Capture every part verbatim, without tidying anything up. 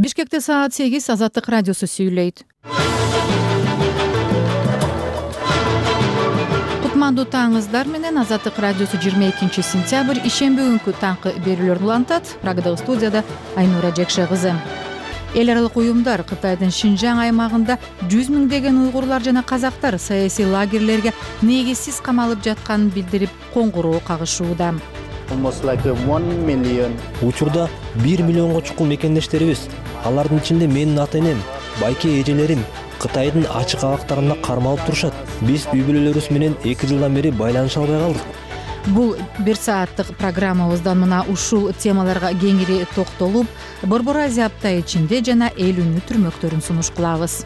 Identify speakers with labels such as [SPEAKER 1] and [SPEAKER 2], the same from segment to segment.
[SPEAKER 1] Бишкекте саат сегиз Азаттык радиосу сүйлөйт. Кутмандуу таңыңыздар менен Азаттык радиосу жыйырма экинчи сентябрь ишемби күнкү таңкы берүүлөрүн улантат. Программадагы студияда Айнура Жекше кызы. Эл аралык уюмдар Кытайдын Шинжаң аймагында жүз миңдеген уйгурлар жана казактар саясий лагерлерге негизсиз камалып жатканын билдирип, коңгуроо кагышууда.
[SPEAKER 2] Учурда бир миллионго чукул мекендештерибиз. Алардын ичинде менин ата-энем, байке эжелерим Кытайдын ачык абактарында кармалып турушат. Биз үй бүлөлөрүбүз менен эки жылдан бери байланыша албай калдык.
[SPEAKER 1] Бул бир сааттык программабыздан мына ушул темаларга кеңири токтолуп, Борбор Азия апта ичинде жана эл үнү түрмөктөрүн сунуш кылабыз.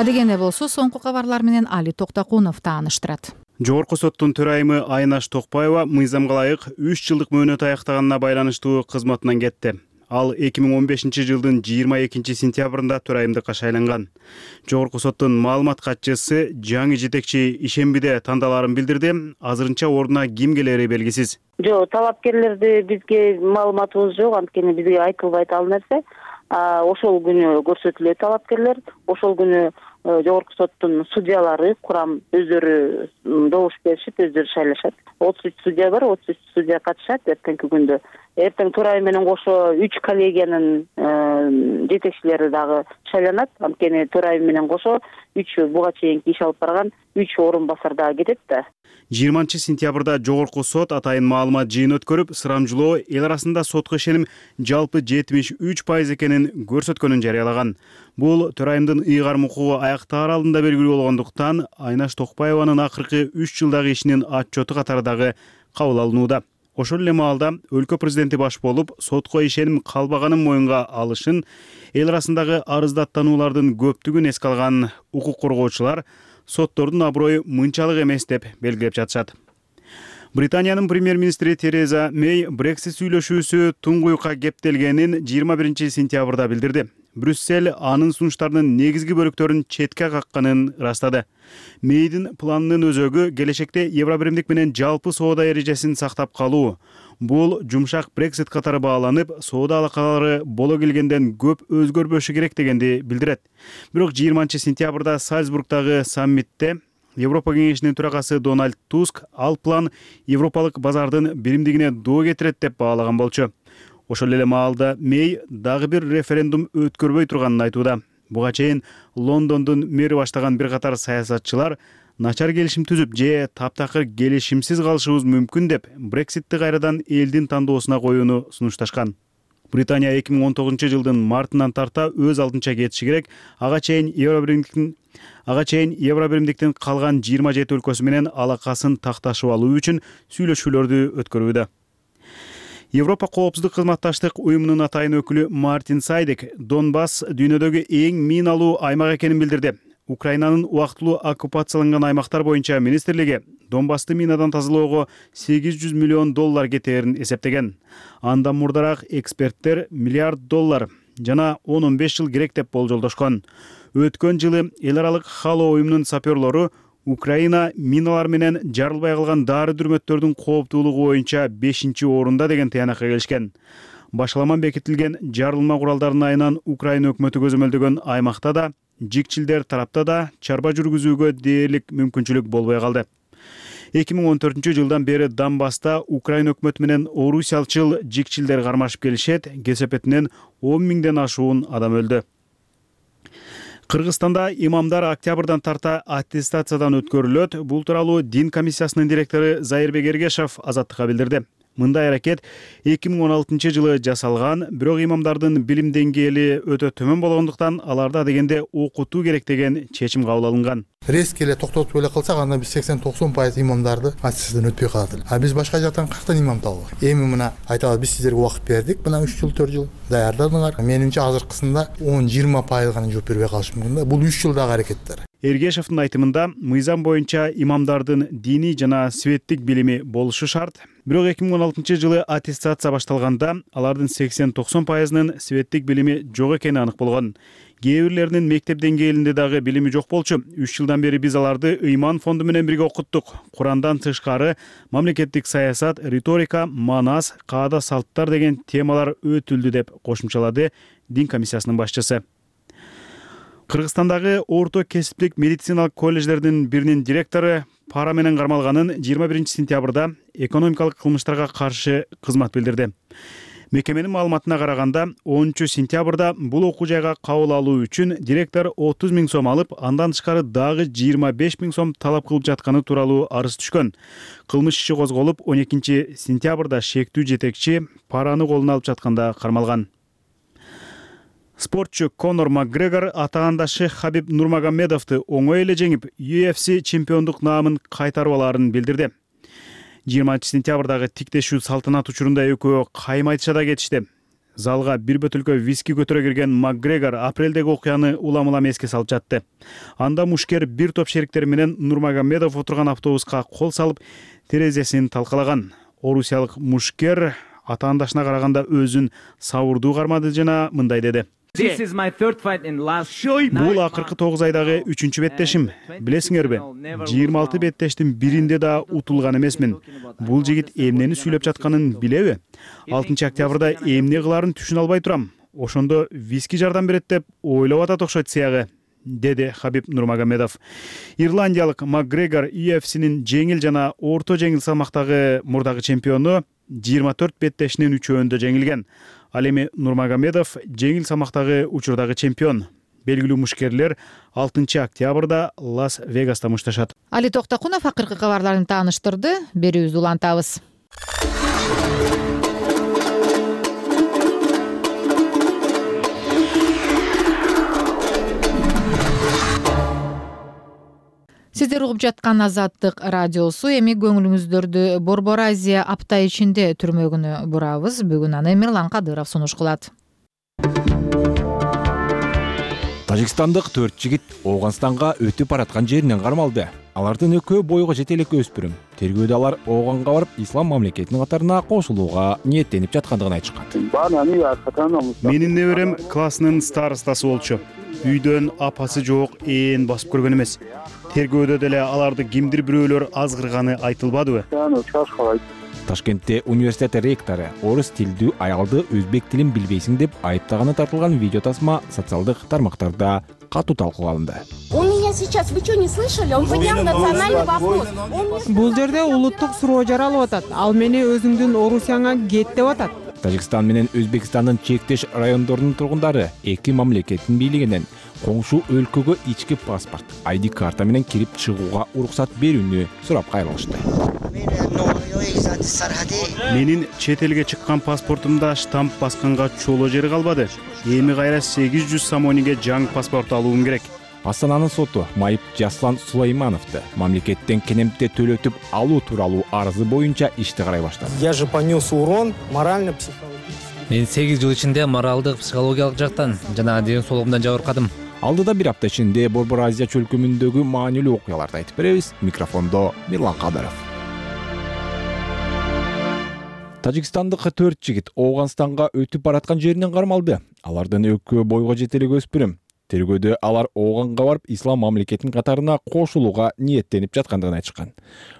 [SPEAKER 1] Адегенде болсо, соңку кабарлар менен Али Токтакунов тааныштырат.
[SPEAKER 3] Жогорку соттун төрайымы Айнаш Токпаева мыйзамга ылайык үч жылдык мөөнөт аяктаганына байланыштуу кызматынан кетти. Ал эки миң он бешинчи жылдын жыйырма экинчи сентябрында төрайымдыкка шайланган. Жогорку соттун маалымат катчысы жаңы жетекчи ишембиде тандалаарын билдирди. Азырынча ордуна ким келери белгисиз.
[SPEAKER 4] Жок, талапкерлерди бизге маалыматыбыз жок, анткени бизге айтылбайт ал нерсе. Ошол күнү көрсөтүлөт талапкерлер, ошол күнү жогорку соттун судьялары курам өздөрү добуш беришип, өздөрү шайлашат. отуз үч судья бар, отуз үч судья катышат эртеңки күндө. Эртең төрайым менен кошо үч коллегиянын жетекчилери дагы шайланат. Анткени төрайым менен кошо үч буга чейинки иш алып барган үч орун басар дагы кетет да.
[SPEAKER 3] жыйырманчы сентябрда жогорку сот атайын маалымат жыйын өткөрүп, сурамжылоо эл арасында сотко ишеним жалпы жетимиш үч пайыз экенин көрсөткөнүн жарыялаган. Бул төрайымдын ыйгарым укугу аяктаар алдында белгилүү болгондуктан Айнаш Токпаеванын акыркы үч жылдагы ишинин отчету катары дагы кабыл алынууда. Ошол эле маалда өлкө президенти баш болуп, сотко ишеним калбаганын моюнга алышын, эл арасындагы арыздаттануулардын көптүгүн эске алган укук коргоочулар соттордун аброю мынчалык эмес деп белгилеп жатышат. Британиянын премьер-министри Тереза Мэй Брексит сүйлөшүүсү туңгуюкка кептелгенин жыйырма биринчи сентябрда билдирди. Брюссель анын сунуштарынын негизги бөлүктөрүн четке какканын ырастады. Мэйдин планынын өзөгү келечекте Евробиримдик менен жалпы соода эрежесин сактап калуу. Бул жумшак Брексит катары бааланып, соода алакалары боло келгенден көп өзгөрбөшү керек дегенди билдирет. Бирок жыйырманчы сентябрда Сальцбургдагы саммитте Европа кеңешинин төрагасы Дональд Туск ал план европалык базардын биримдигине доо кетирет деп баалаган болчу. Ошол эле маалда Мэй дагы бир референдум өткөрбөй турганын айтууда. Буга чейин Лондондун мэри баштаган бир катар саясатчылар начар келишим түзүп же таптакыр келишимсиз калышыбыз мүмкүн деп Брекситти кайрадан элдин тандоосуна коюуну сунушташкан. Британия эки миң он тогузунчу жылдын мартынан тарта өз алдынча кетиши керек. Ага чейин Евробиримдиктин Ага чейин Евробиримдиктин калган жыйырма жети өлкөсү менен алакасын такташып алуу үчүн сүйлөшүүлөрдү өткөрүүдө. Европа коопсуздук кызматташтык уюмунун атайын өкүлү Мартин Сайдек Донбасс дүйнөдөгү эң миналуу аймак экенин билдирди. Украинанын убактылуу оккупацияланган аймактар боюнча министрлиги Донбассты минадан тазалоого сегиз жүз миллион доллар кетээрин эсептеген. Андан мурдараак эксперттер миллиард доллар жана он он беш жыл керек деп болжолдошкон. Өткөн жылы эл аралык Хало уюмунун саперлору Украина миналар менен жарылбай калган дары дүрмөттөрдүн кооптуулугу боюнча бешинчи орунда деген тыянакка келишкен. Башаламан бекитилген жарылма куралдарынын айынан Украина өкмөтү көзөмөлдөгөн аймакта да, жикчилдер тарапта да чарба жүргүзүүгө дээрлик мүмкүнчүлүк болбой калды. эки миң он төртүнчү жылдан бери Донбасста Украина өкмөтү менен орусиялчыл жикчилдер кармашып келишет, кесепетинен он миңден ашуун адам өлдү. Кыргызстанда имамдар октябрдан тарта аттестациядан өткөрүлөт. Бул тууралуу дин комиссиясынын директору Зайырбек Эргешов Азаттыкка билдирди. Мындай аракет эки миң он алтынчы жылы жасалган, бирок имамдардын билим деңгээли өтө төмөн болгондуктан аларда дегенде окутуу керек деген чечим кабыл алынган.
[SPEAKER 5] Резко эле токтотуп эле калсак, анда биз сексен токсон пайыз имамдарды аттестациядан өтпөй калат. А биз башка жактан кырктан имам табылат. Эми мына айтабыз, биз сиздерге убакыт бердик, мына үч жыл төрт жыл даярдадыңар. Менимче азыркысында он жыйырма пайыз гана жооп бербей калышы мүмкүн да. Бул үч жылдагы аракеттер.
[SPEAKER 3] Эргешевдин айтымында мыйзам боюнча имамдардын диний жана светтик билими болушу шарт. Бирок эки миң он алтынчы жылы аттестация башталганда алардын сексен токсон пайызынын светтик билими жок экени анык болгон. Кээ бирлеринин мектеп деңгээлинде дагы билими жок болчу. үч жылдан бери биз аларды ыйман фонду менен бирге окуттук. Курандан тышкары мамлекеттик саясат, риторика, манас, каада салттар деген темалар өтүлдү деп кошумчалады дин комиссиясынын башчысы. Кыргызстандагы орто кесиптик медициналык колледждердин биринин директору пара менен кармалганын жыйырма биринчи сентябрда экономикалык кылмыштарга каршы кызмат билдирди. Мекеменин маалыматына караганда онунчу сентябрда бул окуу жайга кабыл алуу үчүн директор отуз миң сом алып, андан тышкары дагы жыйырма беш миң сом талап кылып жатканы тууралуу арыз түшкөн. Кылмыш иши козголуп, он экинчи сентябрда шектүү жетекчи параны колуна алып жатканда кармалган. Спортчу Конор Макгрегор атаандашы Хабиб Нурмагомедовду оңой эле жеңип, ю эф си чемпиондук наамын кайтарып алаарын билдирди. жыйырманчы сентябрдагы тиктешүү салтанат учурунда экөө кайым айтышада кетишти. Залга бир бөтөлкө виски көтөрө кирген Макгрегор апрелдеги окуяны улам-улам эске салып жатты. Анда мушкер бир топ шериктери менен Нурмагомедов отурган автобуска кол салып, терезесин талкалаган. Орусиялык мушкер атаандашына караганда өзүн сабырдуу кармады жана мындай деди: Бул акыркы тогуз айдагы үчүнчү беттешим. Билесиңерби, жыйырма алты беттештин биринде да утулган эмесмин. Бул жигит эмнени сүйлөп жатканын билеби? алтынчы октябрда эмне кылаарын түшүнө албай турам. Ошондо виски жардам берет деп ойлоп атат окшойт сыягы, деди Хабиб Нурмагомедов. Ирландиялык Макгрегор ю эф синин жеңил жана орто жеңил салмактагы мурдагы чемпиону жыйырма төрт беттешинин үчөөндө жеңилген. Ал эми Нурмагомедов жеңил салмактагы учурдагы чемпион. Белгилүү мушкерлер алтынчы октябрда Лас-Вегаста мушташат.
[SPEAKER 1] Али Токтокунов акыркы кабарларын тааныштырды. Берүүбүздү улантабыз. Сиздер угуп жаткан Азаттык радиосу. Эми көңүлүңүздөрдү Борбор Азия апта ичинде түрмөгүнө бурабыз. Бүгүн аны Мирлан Кадыров сунуш кылат.
[SPEAKER 6] Тажикстандык төрт жигит Ооганстанга өтүп бараткан жеринен кармалды. Алардын экөө бойго жете элек өспүрүм. Тергөөдө алар Ооганга барып, ислам мамлекетинин катарына кошулууга ниеттенип жаткандыгын айтышкан.
[SPEAKER 3] Менин неберем классынын старостасы болчу. Үйдөн апасы жок, ээн басып көргөн эмес. Тергөөдө деле аларды кимдир бирөөлөр азгырганы айтылбадыбы?
[SPEAKER 6] Ташкентте университет ректору орус тилдүү аялды өзбек тилин билбейсиң деп айыптаганы тартылган видео тасма социалдык тармактарда катуу талкууланды.
[SPEAKER 7] Бул жерде улуттук суроо жаралып атат. Ал мени өзүңдүн орусияңа кет деп атат.
[SPEAKER 6] Тажикстан менен Өзбекстандын чектеш райондорунун тургундары эки мамлекеттин бийлигинен коңшу өлкөгө ички паспорт, ай ди карта менен кирип чыгууга уруксат берүүнү сурап кайрылышты.
[SPEAKER 3] Менин чет элге чыккан паспортумда штамп басканга чоло жери калбады. Эми кайра сегиз жүз сомониге жаңы паспорт алуум керек.
[SPEAKER 6] Астананын соту майып Жаслан Сулаймановду мамлекеттен кенемте төлөтүп алуу тууралуу арызы боюнча ишти карай баштады.
[SPEAKER 8] Я же понес урон морально-психологический.
[SPEAKER 9] Мен сегиз жыл ичинде моралдык, психологиялык жактан жана ден соолугумдан жабыркадым.
[SPEAKER 6] Алдыда бир апта ичинде Борбор Азия чөлкөмүндөгү маанилүү окуяларды айтып беребиз. Микрофондо Мирлан Кадыров. Тажикстандык төрт жигит Ооганстанга өтүп бараткан жеринен кармалды. Алардын экөө бойго жете элек өспүрүм. Тергөөдө алар Ооганга барып, ислам мамлекетинин катарына кошулууга ниеттенип жаткандыгын айтышкан.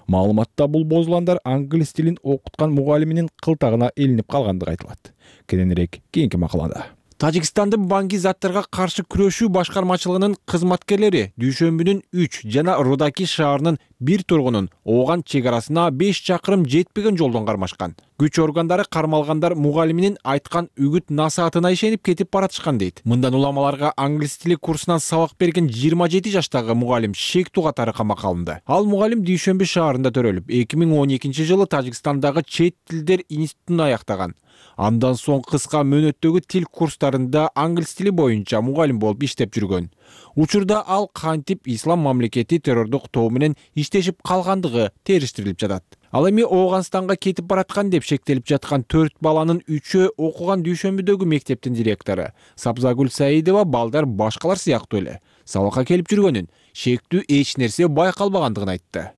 [SPEAKER 6] Маалыматта бул бозуландар англис тилин окуткан мугалиминин кылтагына илинип калгандыгы айтылат. Кененирээк кийинки макалада. Тажикстандын банги заттарга каршы күрөшүү башкармачылыгынын кызматкерлери дүйшөмбүнүн үч жана Рудаки шаарынын бир тургунун Ооган чек арасына беш чакырым жетпеген жолдон кармашкан. Күч органдары кармалгандар мугалиминин айткан үгүт насаатына ишенип кетип баратышкан дейт. Мындан улам аларга англис тили курсунан сабак берген жыйырма жети жаштагы мугалим шектүү катары камакка алынды. Ал мугалим Дүйшөмбү шаарында төрөлүп, эки миң он экинчи жылы Тажикстандагы чет тилдер институтун аяктаган. Андан соң кыска мөөнөттөгү тил курстарында англис тили боюнча мугалим болуп иштеп жүргөн. Учурда ал кантип ислам мамлекети террордук тобу менен иштешип калгандыгы териштирилип жатат. Ал эми Ооганстанга кетип бараткан деп шектелип жаткан төрт баланын үчөө окуган Дүйшөмбүдөгү мектептин директору Сабзагүл Саидова балдар башкалар сыяктуу эле сабакка келип жүргөнүн, шектүү эч нерсе байкалбагандыгын айтты.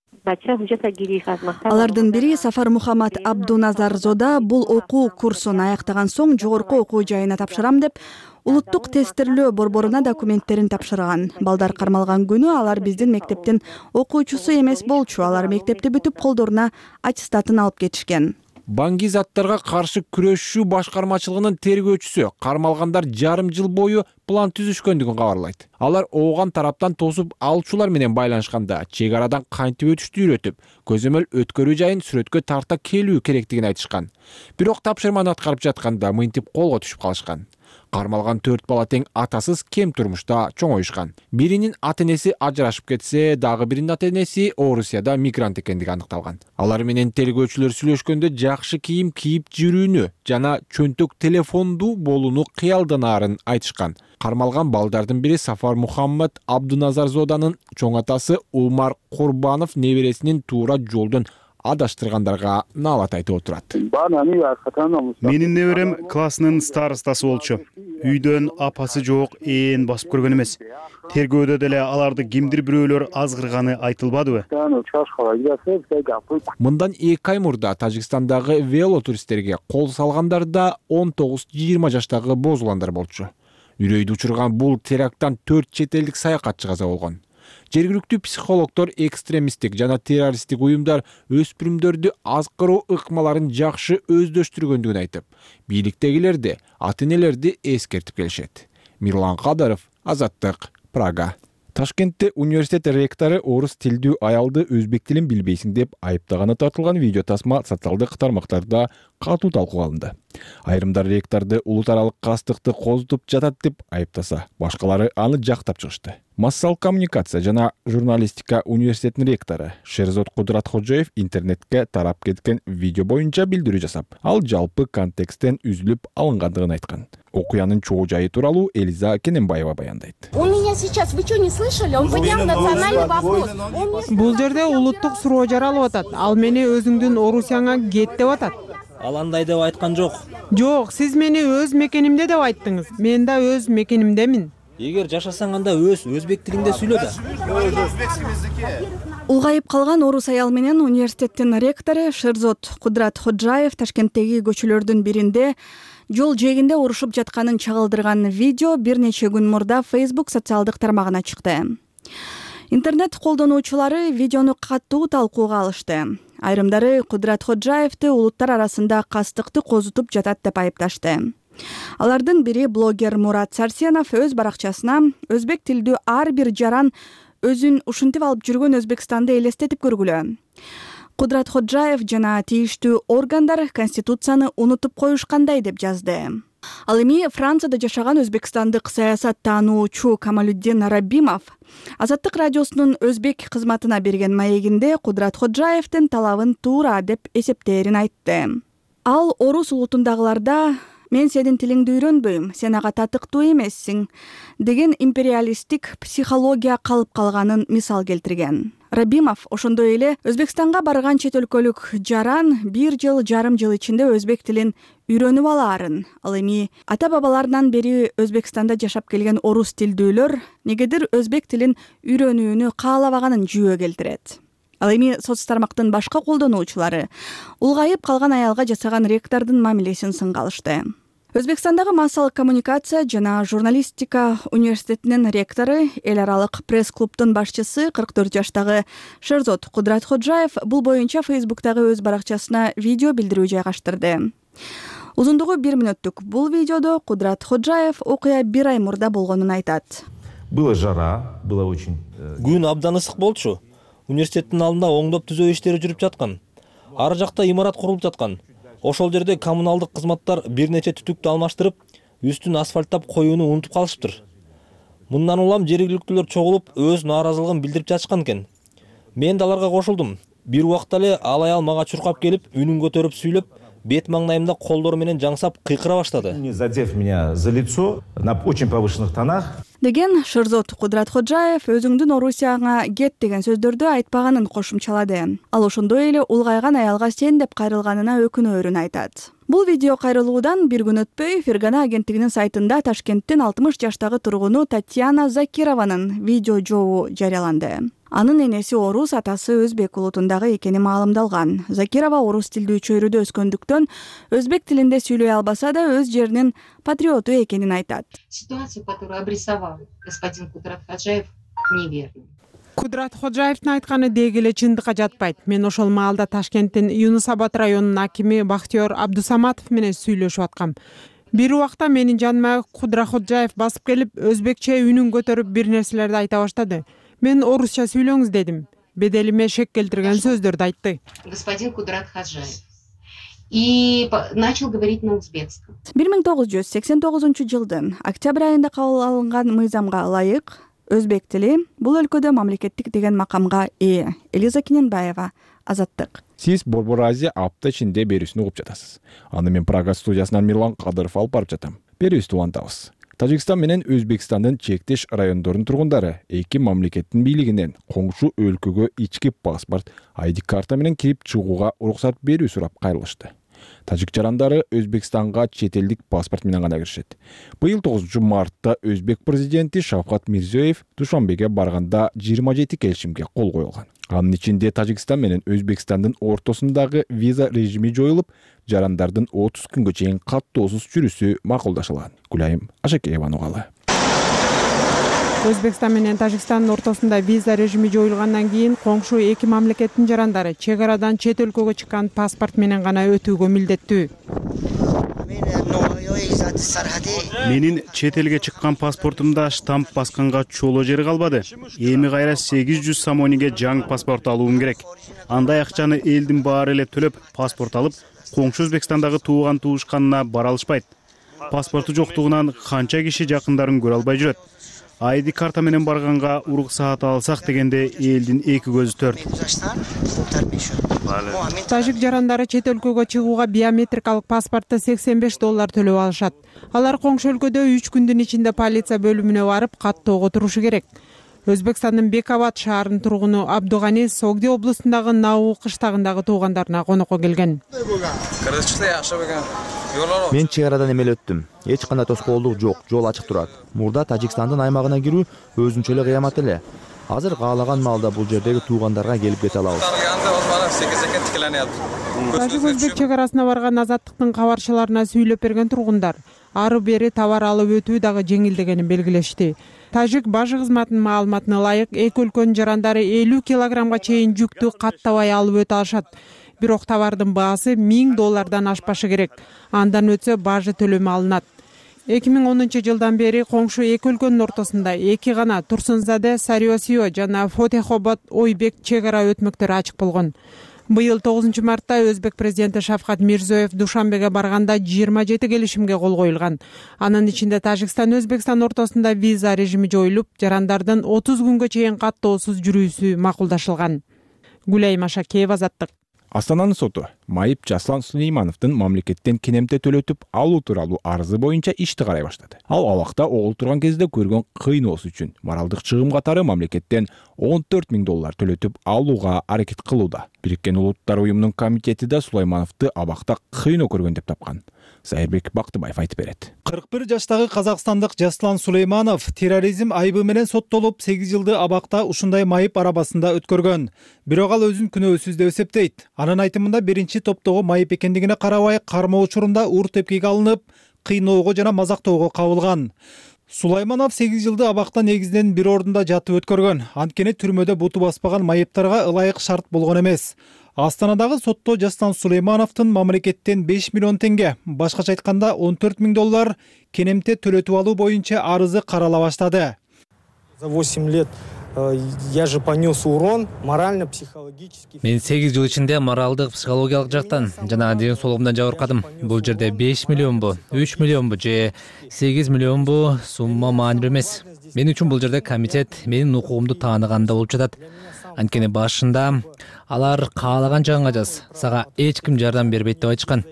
[SPEAKER 10] Алардын бири Сафар Мухаммад Абдуназарзода бул окуу курсун аяктаган соң жогорку окуу жайына тапшырам деп улуттук тестирлөө борборуна документтерин тапшырган. Балдар кармалган күнү алар биздин мектептин окуучусу эмес болчу. Алар мектепти бүтүп колдоруна аттестатын алып кетишкен.
[SPEAKER 6] Банги заттарга каршы күрөшүү башкармачылыгынын тергөөчүсү кармалгандар жарым жыл бою план түзүшкөндүгүн кабарлайт. Алар Ооган тараптан тосуп алуучулар менен байланышканда чек арадан кантип өтүштү үйрөтүп, көзөмөл өткөрүү жайын сүрөткө тарта келүү керектигин айтышкан. Бирок тапшырманы аткарып жатканда мынтип колго түшүп калышкан. Кармалган төрт бала тең атасыз кем турмушта чоңоюшкан. Биринин ата-энеси ажырашып кетсе, дагы биринин ата-энеси Орусияда мигрант экендиги аныкталган. Алар менен тергөөчүлөр сүйлөшкөндө жакшы кийим кийип жүрүүнү жана чөнтөк телефонду болууну кыялданаарын айтышкан. Кармалган балдардын бири Сафар Мухаммад Абдуназарзоданын чоң атасы Умар Курбанов небересинин туура жолдон адаштыргандарга наалат айтып отурат.
[SPEAKER 3] Менин неберем классынын старостасы болчу. Үйдөн апасы жок, ээн басып көргөн эмес. Тергөөдө деле аларды кимдир бирөөлөр азгырганы айтылбадыбы?
[SPEAKER 6] Мындан эки ай мурда Тажикстандагы велотуристтерге кол салгандарда он тогуз жыйырма жаштагы боз уландар болчу. Үрөйдү учурган бул теракттан төрт чет элдик саякатчы каза болгон. Жергиликтүү психологдор экстремисттик жана террористтик уюмдар өспүрүмдөрдү азкыруу ыкмаларын жакшы өздөштүргөндүгүн айтып, бийликтегилерди, ата-энелерди эскертип келишет. Мирлан Кадаров, Азаттык, Прага. Ташкентте университет ректору орус тилдүү аялды өзбек тилин билбейсиң деп айыптаганы тартылган видео тасма социалдык тармактарда катуу талкууга алынды. Айрымдар ректорду улут аралык кастыкты козутуп жатат деп айыптаса, башкалары аны жактап чыгышты. Массалык коммуникация жана журналистика университетинин ректору Шерзот Кудратходжоев интернетке тарап кеткен видео боюнча билдирүү жасап, ал жалпы контексттен үзүлүп алынгандыгын айткан. Окуянын чоо жайы тууралуу Элиза Кененбаева баяндайт.
[SPEAKER 11] Он меня сейчас, вы что, не слышали? Он поднял национальный вопрос.
[SPEAKER 7] Бул жерде улуттук суроо жаралып атат. Ал мени өзүңдүн Орусияңа кет деп атат.
[SPEAKER 2] Ал андай деп айткан жок.
[SPEAKER 7] Жок, сиз мени өз мекенимде деп айттыңыз. Мен да өз мекенимдемин.
[SPEAKER 2] Эгер жашасаң анда өз өзбек тилинде сүйлө да.
[SPEAKER 10] Улгайып калган орус аял менен университеттин ректору Шерзот Кудратходжаев Ташкенттеги көчөлөрдүн биринде жол жээгинде урушуп жатканын чагылдырган видео бир нече күн мурда Facebook социалдык тармагына чыкты. Интернет колдонуучулары видеону катуу талкууга алышты. Айрымдары Кудратходжаевди улуттар арасында кастыкты козутуп жатат деп айыпташты. Алардын бири блогер Мурат Сарсенов өз баракчасына өзбек тилдүү ар бир жаран өзүн ушинтип алып жүргөн Өзбекстанды элестетип көргүлө. Кудратходжаев жана тийиштүү органдар конституцияны унутуп коюшкандай деп жазды. Ал эми Францияда жашаган өзбекстандык саясат таануучу Камалуддин Рабимов Азаттык радиосунун өзбек кызматына берген маегинде Кудратходжаевдин талабын туура деп эсептээрин айтты. Ал орус улутундагыларда «Мен сенин тилиңди үйрөнбөйм, сен ага татыктуу эмессиң» деген империалисттик психология калып калганын мисал келтирген. Рабимов ошондой эле Өзбекстанга барган чет өлкөлүк жаран бир жыл жарым жыл ичинде өзбек тилин үйрөнүп алаарын, ал эми ата-бабаларынан бери Өзбекстанда жашап келген орус тилдүүлөр негедир өзбек тилин үйрөнүүнү каалабаганын жүйө келтирет. Ал эми соц тармактын башка колдонуучулары улгайып калган аялга жасаган ректордун мамилесин сынга алышты. Өзбекстандагы массалык коммуникация жана журналистика университетинин ректору, эл аралык пресс-клубдун башчысы кырк төрт жаштагы Шерзот Кудратходжаев бул боюнча Facebook'тагы өз баракчасына видео билдирүү жайгаштырды. Узундугу бир мүнөттүк бул видеодо Кудратходжаев окуя бир ай мурда болгонун айтат.
[SPEAKER 12] Была жара, было очень.
[SPEAKER 2] Күн абдан ысык болчу. Университеттин алдында оңдоп түзөө иштери жүрүп жаткан. Ары жакта имарат курулуп жаткан. Ошол жерде коммуналдык кызматтар бир нече түтүктү алмаштырып, үстүн асфальттап коюуну унутуп калышыптыр. Мындан улам жергиликтүүлөр чогулуп, өз нааразылыгын билдирип жатышкан экен. Мен да аларга кошулдум. Бир убакта эле ал аял мага чуркап келип, үнүн көтөрүп сүйлөп, бет маңнайымда колдору менен жаңсап кыйкыра баштады.
[SPEAKER 12] Не задев меня за лицо на очень повышенных тонах.
[SPEAKER 10] Деген Шырзот Кудрат Ходжаев өзүңдүн Орусияңа кет деген сөздөрдү айтпаганын кошумчалады. Ал ошондой эле улгайган аялга сен деп кайрылганына өкүнөөрүн айтат. Бул видео кайрылуудан бир күн өтпөй Фергана агенттигинин сайтында Ташкенттин алтымыш жаштагы тургуну Татьяна Закированын видео жообу жарыяланды. Анын энеси орус, атасы өзбек улутундагы экени маалымдалган. Закирова орус тилдүү чөйрөдө өскөндүктөн өзбек тилинде сүйлөй албаса да өз жеринин патриоту экенин айтат.
[SPEAKER 13] Ситуацию, которую обрисовал господин Кудрат Ходжаев, неверна.
[SPEAKER 7] Кудрат Ходжаевдин айтканы деги эле чындыкка жатпайт. Мен ошол маалда Ташкенттин Юнус Абад районунун акими Бахтиёр Абдусаматов менен сүйлөшүп аткам. Бир убакта менин жаныма Кудрат Ходжаев басып келип, өзбекче үнүн көтөрүп бир нерселерди айта баштады. Мен орусча сүйлөңүз дедим. Беделиме шек келтирген сөздөрдү айтты.
[SPEAKER 13] Господин Кудрат Ходжаев. И начал говорить на узбекском.
[SPEAKER 10] бир миң тогуз жүз сексен тогузунчу жылдын октябрь айында кабыл алынган мыйзамга ылайык өзбек тили бул өлкөдө мамлекеттик деген макамга ээ. Элиза Кененбаева, Азаттык.
[SPEAKER 6] Сиз Борбор Азия апта ичинде берүүсүн угуп жатасыз. Аны мен Прага студиясынан Мирлан Кадыров алып барып жатам. Берүүбүздү улантабыз. Тажикстан менен Өзбекстандын чектеш райондорунун тургундары эки мамлекеттин бийлигинен коңшу өлкөгө ички паспорт, ай ди карта менен кирип чыгууга уруксат берүү сурап кайрылышты. Тажик жарандары Өзбекстанга чет элдик паспорт менен гана киришет. Быйыл тогузунчу мартта Өзбек президенти Шавкат Мирзиёев Душанбеге барганда жыйырма жети келишимге кол коюлган. Анын ичинде Тажикстан менен Өзбекстандын ортосундагы виза режими жоюлуп, жарандардын отуз күнгө чейин каттоосуз жүрүүсү макулдашылган. Гүлайым Ашакееванын угалы.
[SPEAKER 7] Өзбекстан менен Тажикстандын ортосунда виза режими жоюлгандан кийин коңшу эки мамлекеттин жарандары чек арадан чет өлкөгө чыккан паспорт менен гана өтүүгө милдеттүү.
[SPEAKER 3] Менин чет элге чыккан паспортумда штамп басканга чоло жери калбады. Эми кайра сегиз жүз самониге жаңы паспорт алуум керек. Андай акчаны элдин баары эле төлөп паспорт алып, коңшу Өзбекстандагы тууган туушканына бара алышпайт. Паспорту жоктугунан канча киши жакындарын көрө албай жүрөт. ай ди карта менен барганга уруксаат алсак дегенде элдин эки көзү төрт.
[SPEAKER 7] Тажик жарандары чет өлкөгө чыгууга биометрикалык паспортто сексен беш доллар төлөп алышат. Алар коңшу өлкөдө үч күндүн ичинде полиция бөлүмүнө барып каттоого турушу керек. Өзбекстандын Бекават шаарынын тургуну Абдугани Согди областындагы Нау кыштагындагы туугандарына конокко келген.
[SPEAKER 14] Мен чек арадан эмел өттүм. Эч кандай тоскоолдук жок, жол ачык турат. Мурда Тажикстандын аймагына кирүү өзүнчө эле кыямат эле. Азыр каалаган маалда бул жердеги туугандарга келип кете алабыз.
[SPEAKER 7] Тажик өзбек чек арасына барган Азаттыктын кабарчыларына сүйлөп берген тургундар ары бери товар алып өтүү дагы жеңилдегенин белгилешти. Тажик бажы кызматынын маалыматына ылайык эки өлкөнүн жарандары элүү килограммга чейин жүктү каттабай алып өтө алышат. Бирок товардын баасы миң доллардан ашпашы керек. Андан өтсө бажы төлөмү алынат. эки миң онунчу жылдан бери коңшу эки өлкөнүн ортосунда эки гана Турсунзаде, Сариосио жана Фотехобод Ойбек чек ара өтмөктөрү ачык болгон. Быйыл тогузунчу мартта Өзбек президенти Шавкат Мирзиёев Душанбеге барганда жыйырма жети келишимге кол коюлган. Анын ичинде Тажикстан Өзбекстан ортосунда виза режими жоюлуп, жарандардын отуз күнгө чейин каттоосуз жүрүүсү макулдашылган. Гүлайым Ашакеева, Азаттык.
[SPEAKER 6] Астананын соту майып Жаслан Сулеймановдун мамлекеттен кенемте төлөтүп алуу тууралуу арызы боюнча ишти карай баштады. Ал абакта огул турган кезде көргөн кыйноосу үчүн моралдык чыгым катары мамлекеттен он төрт миң доллар төлөтүп алууга аракет кылууда. Бириккен Улуттар уюмунун комитети да Сулеймановду абакта кыйноо көргөн деп тапкан. Сайырбек Бактыбаев айтып берет.
[SPEAKER 15] кырк бир жаштагы казакстандык Жаслан Сулейманов терроризм айыбы менен соттолуп сегиз жылды абакта ушундай майып арабасында өткөргөн. Бирок ал өзүн күнөөсүз деп эсептейт. Анын айтымында биринчи топтогу майып экендигине карабай кармоо учурунда ур тепкиге алынып, кыйноого жана мазактоого кабылган. Сулайманов сегиз жылды абакта негизинен бир ордунда жатып өткөргөн. Анткени түрмөдө буту баспаган майыптарга ылайык шарт болгон эмес. Астанадагы сотто Жаслан Сулеймановдун мамлекеттен беш миллион теңге, башкача айтканда он төрт миң доллар кенемте төлөтүп алуу боюнча арызы карала баштады.
[SPEAKER 8] За восемь лет я же понес урон морально-психологический.
[SPEAKER 9] Мен сегиз жыл ичинде моралдык, психологиялык жактан жана ден соолугумдан жабыркадым. Бул жерде беш миллионбу, үч миллионбу же сегиз миллионбу сумма маанилүү эмес. Мен үчүн бул жерде комитет менин укугумду тааныганда болуп жатат. Анткени башында алар каалаган жагыңа жаз, сага эч ким жардам бербейт деп айтышкан.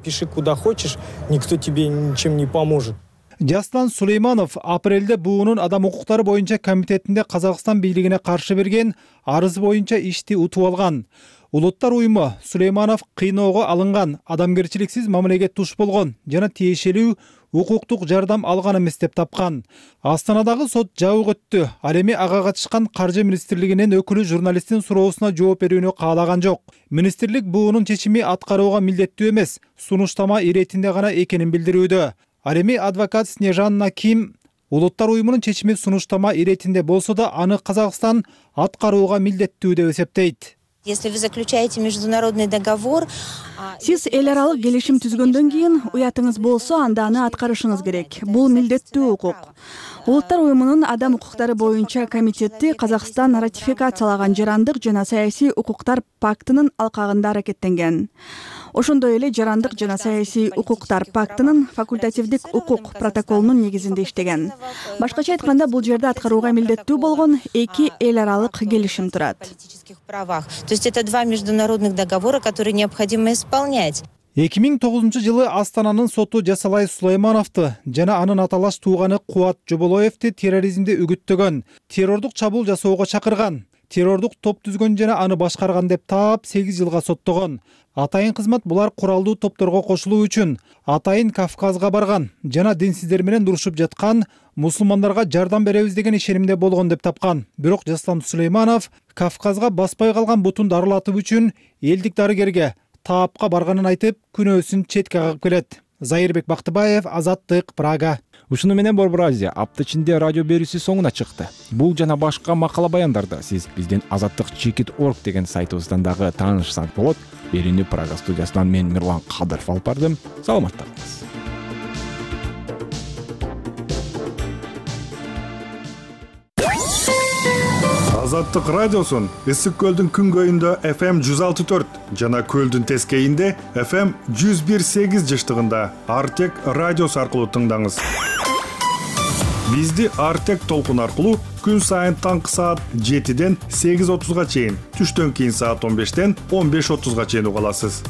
[SPEAKER 8] Пиши куда хочешь, никто тебе ничем не поможет.
[SPEAKER 15] Жаслан Сулейманов апрелде буунун адам укуктары боюнча комитетинде Казакстан бийлигине каршы берген арыз боюнча ишти утуп алган. Улуттар уюму Сулейманов кыйноого алынган, адамгерчиликсиз мамилеге туш болгон жана тиешелүү укуктук жардам алган эмес деп тапкан. Астанадагы сот жабык өттү. Ал эми ага катышкан Каржы министрлигинин өкүлү журналисттин суроосуна жооп берүүнү каалаган жок. Министрлик буунун чечими аткарууга милдеттүү эмес, сунуштама иретинде гана экенин билдирүүдө. Ал эми адвокат Снежанна Ким улуттар уюмунун чечими сунуштама иретинде болсо да аны Казакстан аткарууга милдеттүү деп эсептейт.
[SPEAKER 16] Если вы заключаете международный договор,
[SPEAKER 10] сиз эл аралык келишим түзгөндөн кийин уятыңыз болсо, анда аны аткарышыңыз керек. Бул милдеттүү укук. Улуттар уюмунун адам укуктары боюнча комитети Казакстан ратификациялаган жарандык жана саясий укуктар пактынын алкагында аракеттенген. Ошондой эле жарандык жана саясий укуктар пактынын факультативдик укук протоколунун негизинде иштеген. Башкача айтканда, бул жерде аткарууга милдеттүү болгон эки эл аралык келишим турат.
[SPEAKER 16] правах. То есть это два международных договора, которые необходимо исполнять.
[SPEAKER 15] эки миң тогузунчу жылы Астананын соту Жасалай Сулаймановду жана анын аталаш тууганы Кубат Жоболоевди терроризмди үгүттөгөн, террордук чабуул жасоого чакырган, террордук топ түзгөн жана аны башкарган деп таап сегиз жылга соттогон. Атайын кызмат булар куралдуу топторго кошулуу үчүн атайын Кавказга барган жана динсиздер менен урушуп жаткан мусулмандарга жардам беребиз деген ишенимде болгон деп тапкан. Бирок Жаслан Сулейманов Кавказга баспай калган бутун дарылатып үчүн элдик дарыгерге таапка барганын айтып, күнөөсүн четке кагып келет. Зайырбек Бактыбаев, Азаттык, Прага.
[SPEAKER 6] Ушуну менен Борбор Азия апта ичинде радио берүүсү соңуна чыкты. Бул жана башка макала баяндарды сиз биздин азаттык чекит точка орг деген сайтыбыздан дагы таанышсаңыз болот. Берүүнү Прага студиясынан мен Мирлан Кадыров алып бардым. Саламатта калыңыз.
[SPEAKER 17] Азаттык радиосун Ысык көлдүн күнгөйүндө эф эм жүз алты төрт жана көлдүн тескейинде эф эм жүз бир сегиз жыштыгында Артек радиосу аркылуу тыңдаңыз. Бизди Артек толкун аркылуу күн сайын таңкы саат жетиден сегиз отузга чейин, түштөн кийин саат он бештен он беш отузга чейин уга аласыз.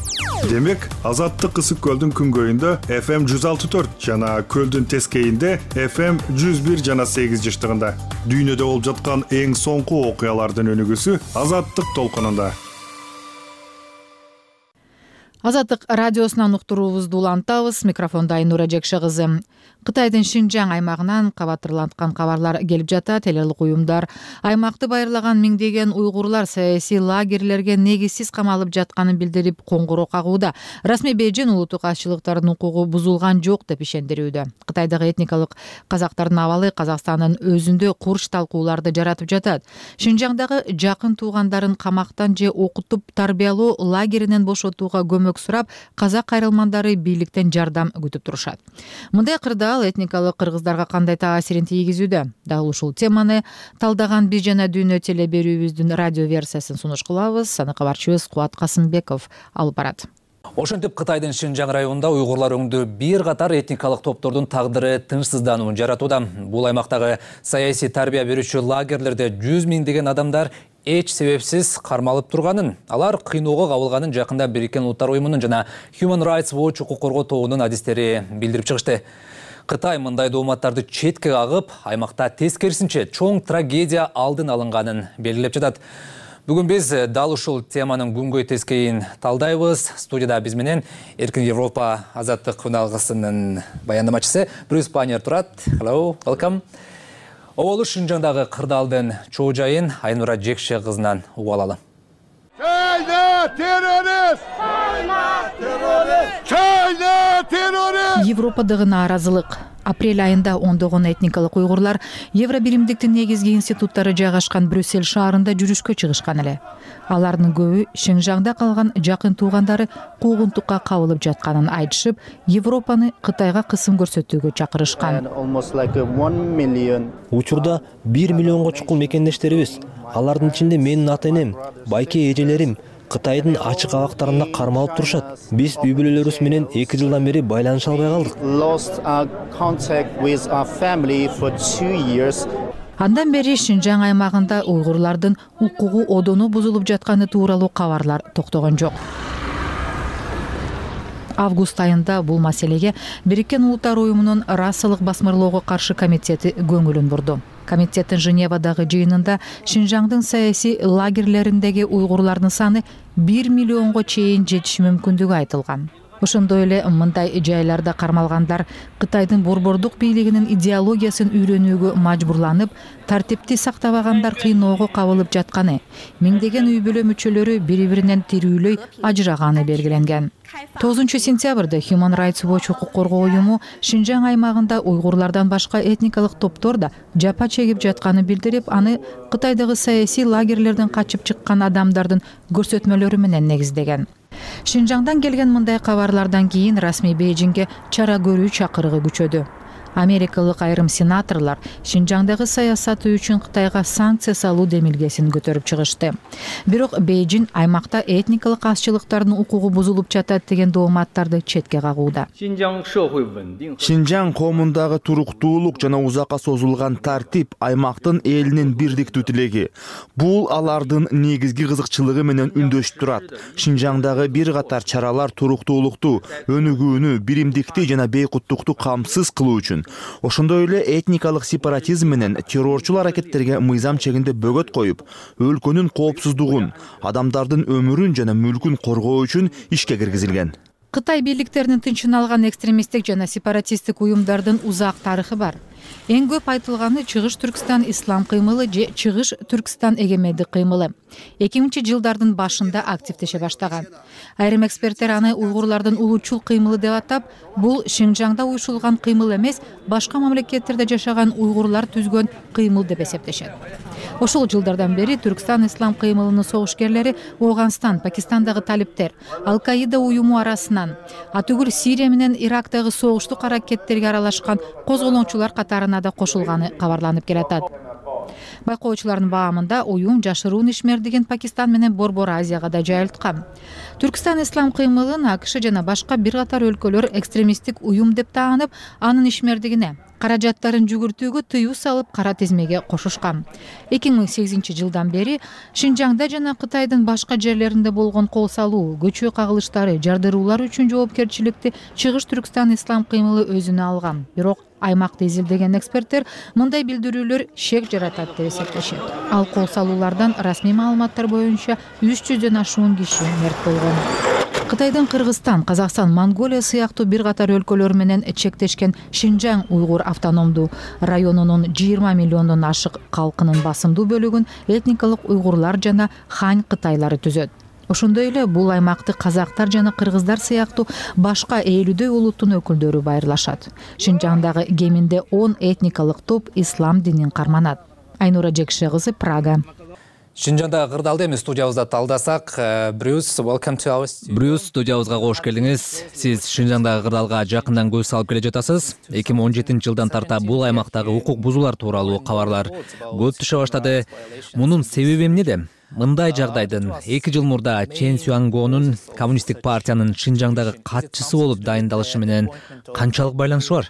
[SPEAKER 17] Демек, Азаттык Ысык көлдүн күнгөйүндө эф эм жүз алты төрт жана көлдүн тескейинде эф эм жүз бир жана сегиз жыштыгында. Дүйнөдө болуп жаткан эң соңку окуялардын өнүгүүсү Азаттык толкунунда.
[SPEAKER 1] Азаттык радиосунан уктуруубузду улантабыз. Микрофондо Айнура Жекше кызы. Кытайдын Шинжаң аймагынан кабаттырланткан кабарлар келип жатат. Эл аралык уюмдар аймакты байырлаган миңдеген уйгурлар саясий лагерлерге негизсиз камалып жатканын билдирип коңгуроо кагууда. Расмий Бейжин улуттук азчылыктардын укугу бузулган жок деп ишендирүүдө. Кытайдагы этникалык казактардын абалы Казакстандын өзүндө курч талкууларды жаратып жатат. Шинжаңдагы жакын туугандарын камактан же окутуп тарбиялоо лагеринен бошотууга көмөк сурап, казак кайрылмандары бийликтен жардам күтүп турушат. Мындай кырдаал этникалык кыргыздарга кандай таасирин тийгизүүдө? Дал ушул теманы талдаган биз жана дүйнө теле берүүбүздүн радио версиясын сунуш кылабыз. Аны кабарчыбыз Кубат Касымбеков алып барат.
[SPEAKER 18] Ошентип Кытайдын Шинжаң районунда уйгурлар өңдүү бир катар этникалык топтордун тагдыры тынчсыздануун жаратууда. Бул аймактагы саясий тарбия берүүчү лагерлерде жүз миңдеген адамдар эч себепсиз кармалып турганын, алар кыйноого кабылганын жакында Бириккен Улуттар уюмунун жана Human Rights Watch укук коргоо тобунун адистери билдирип чыгышты. Кытай мындай дооматтарды четке кагып, аймакта тескерисинче чоң трагедия алдын алынганын белгилеп жатат. Бүгүн биз дал ушул теманын күнгөй тескейин талдайбыз. Студияда биз менен Эркин Европа азаттык күналгысынын баяндамачысы Брюс Панер турат. Hello, welcome. Оболу Шинжаңдагы кырдаалдын чоо жайын Айнура Жекше кызынан угуп алалы.
[SPEAKER 19] Чайна террорист! Чайна террорист! Чайна террорист!
[SPEAKER 1] Европадагы нааразылык. Апрель айында ондогон этникалык уйгурлар Евробиримдиктин негизги институттары жайгашкан Брюссель шаарында жүрүшкө чыгышкан эле. Алардын көбү Шинжаңда калган жакын туугандары куугунтукка кабылып жатканын айтышып, Европаны Кытайга кысым көрсөтүүгө чакырышкан.
[SPEAKER 2] Учурда бир миллионго чукул мекендештерибиз, алардын ичинде менин ата-энем, байке эжелерим Кытайдын ачык абактарында кармалып турушат. Биз үй бүлөлөрүбүз менен эки жылдан бери байланыша албай калдык.
[SPEAKER 1] Андан бери Шинжаң аймагында уйгурлардын укугу одону бузулуп жатканы тууралуу кабарлар токтогон жок. Август айында бул маселеге Бириккен Улуттар уюмунун расалык басмырлоого каршы комитети көңүлүн бурду. Комитеттин Женевадагы жыйынында Шинжаңдын саясий лагерлериндеги уйгурлардын саны бир миллионго чейин жетиши мүмкүндүгү айтылган. Ошондой эле мындай жайларда кармалгандар Кытайдын борбордук бийлигинин идеологиясын үйрөнүүгө мажбурланып, тартипти сактабагандар кыйноого кабылып жатканы, миңдеген үй бүлө мүчөлөрү бири-биринен тирүүлөй ажыраганы белгиленген. тогузунчу сентябрда Human Rights Watch укук коргоо уюму Шинжаң аймагында уйгурлардан башка этникалык топтор да жапа чегип жатканын билдирип, аны Кытайдагы саясий лагерлерден качып чыккан адамдардын көрсөтмөлөрү менен негиздеген. Шинжаңдан келген мындай кабарлардан кийин расмий Бейжиңге чара көрүү чакырыгы күчөдү. Америкалык айрым сенаторлор Шинжаңдагы саясаты үчүн Кытайга санкция салуу демилгесин көтөрүп чыгышты. Бирок Бейжиң аймакта этникалык азчылыктардын укугу бузулуп жатат деген дооматтарды четке кагууда.
[SPEAKER 14] Шинжаң коомундагы туруктуулук жана узакка созулган тартип аймактын элинин бирдиктүү тилеги. Бул алардын негизги кызыкчылыгы менен үндөшүп турат. Шинжаңдагы бир катар чаралар туруктуулукту, өнүгүүнү, биримдикти жана бейкуттукту камсыз кылуу үчүн, ошондой эле этникалык сепаратизм менен террорчул аракеттерге мыйзам чегинде бөгөт коюп, өлкөнүн коопсуздугун, адамдардын өмүрүн жана мүлкүн коргоо үчүн ишке киргизилген.
[SPEAKER 1] Кытай бийликтеринин тынчын алган экстремисттик жана сепаратисттик уюмдардын узак тарыхы бар. Эң көп айтылганы Чыгыш Түркстан ислам кыймылы же Чыгыш Түркстан эгемендик кыймылы. эки миңинчи жылдардын башында активдеше баштаган. Айрым эксперттер аны уйгурлардын улуучул кыймылы деп атап, бул Шинжаңда уюшулган кыймыл эмес, башка мамлекеттерде жашаган уйгурлар түзгөн кыймыл деп эсептешет. Ошол жылдардан бери Түркстан ислам кыймылынын согушкерлери Ооганстан, Пакистандагы талиптер, Ал-Каида уюму арасынан, атүгүл Сирия менен Ирактагы согуштук аракеттерге аралашкан козголоңчулар катарына да кошулганы кабарланып келатат. Байкоочулардын баамында уюм жашыруун ишмердигин Пакистан менен Борбор Азияга да жайылткан. Түркстан ислам кыймылын АКШ жана башка бир катар өлкөлөр экстремисттик уюм деп таанып, анын ишмердигине каражаттарын жүгүртүүгө тыюу салып кара тизмеге кошушкан. эки миң сегизинчи жылдан бери Шинжаңда жана Кытайдын башка жерлеринде болгон кол салуу, көчө кагылыштары, жардыруулар үчүн жоопкерчиликти Чыгыш Түркстан ислам кыймылы өзүнө алган. Бирок аймакты изилдеген эксперттер мындай билдирүүлөр шек жаратат деп эсептешет. Ал кол салуулардан расмий маалыматтар боюнча үч жүздөн ашуун киши мерт болгон. Кытайдын Кыргызстан, Казакстан, Монголия сыяктуу бир катар өлкөлөр менен чектешкен Шинжаң уйгур автономдуу районунун жыйырма миллиондон ашык калкынын басымдуу бөлүгүн этникалык уйгурлар жана хань кытайлары түзөт. Ошондой эле бул аймакты казактар жана кыргыздар сыяктуу башка элүүдөй улуттун өкүлдөрү байырлашат. Шинжаңдагы кеминде он этникалык топ ислам динин карманат. Айнура Жекше кызы, Прага.
[SPEAKER 18] Шинжаңда кырдаалды эми студиябызда талдасак, Брюс, welcome to our studio. Брюс, студиябызга кош келдиңиз. Сиз Шинжаңдагы кырдаалга жакындан көз салып келе жатасыз. эки миң он жетинчи жылдан тарта бул аймактагы укук бузуулар тууралуу кабарлар көп түшө баштады. Мунун себеби эмнеде? Мындай жагдайдын эки жыл мурда Чен Сюангонун коммунисттик партиянын Шинжаңдагы катчысы болуп дайындалышы менен канчалык байланышы бар?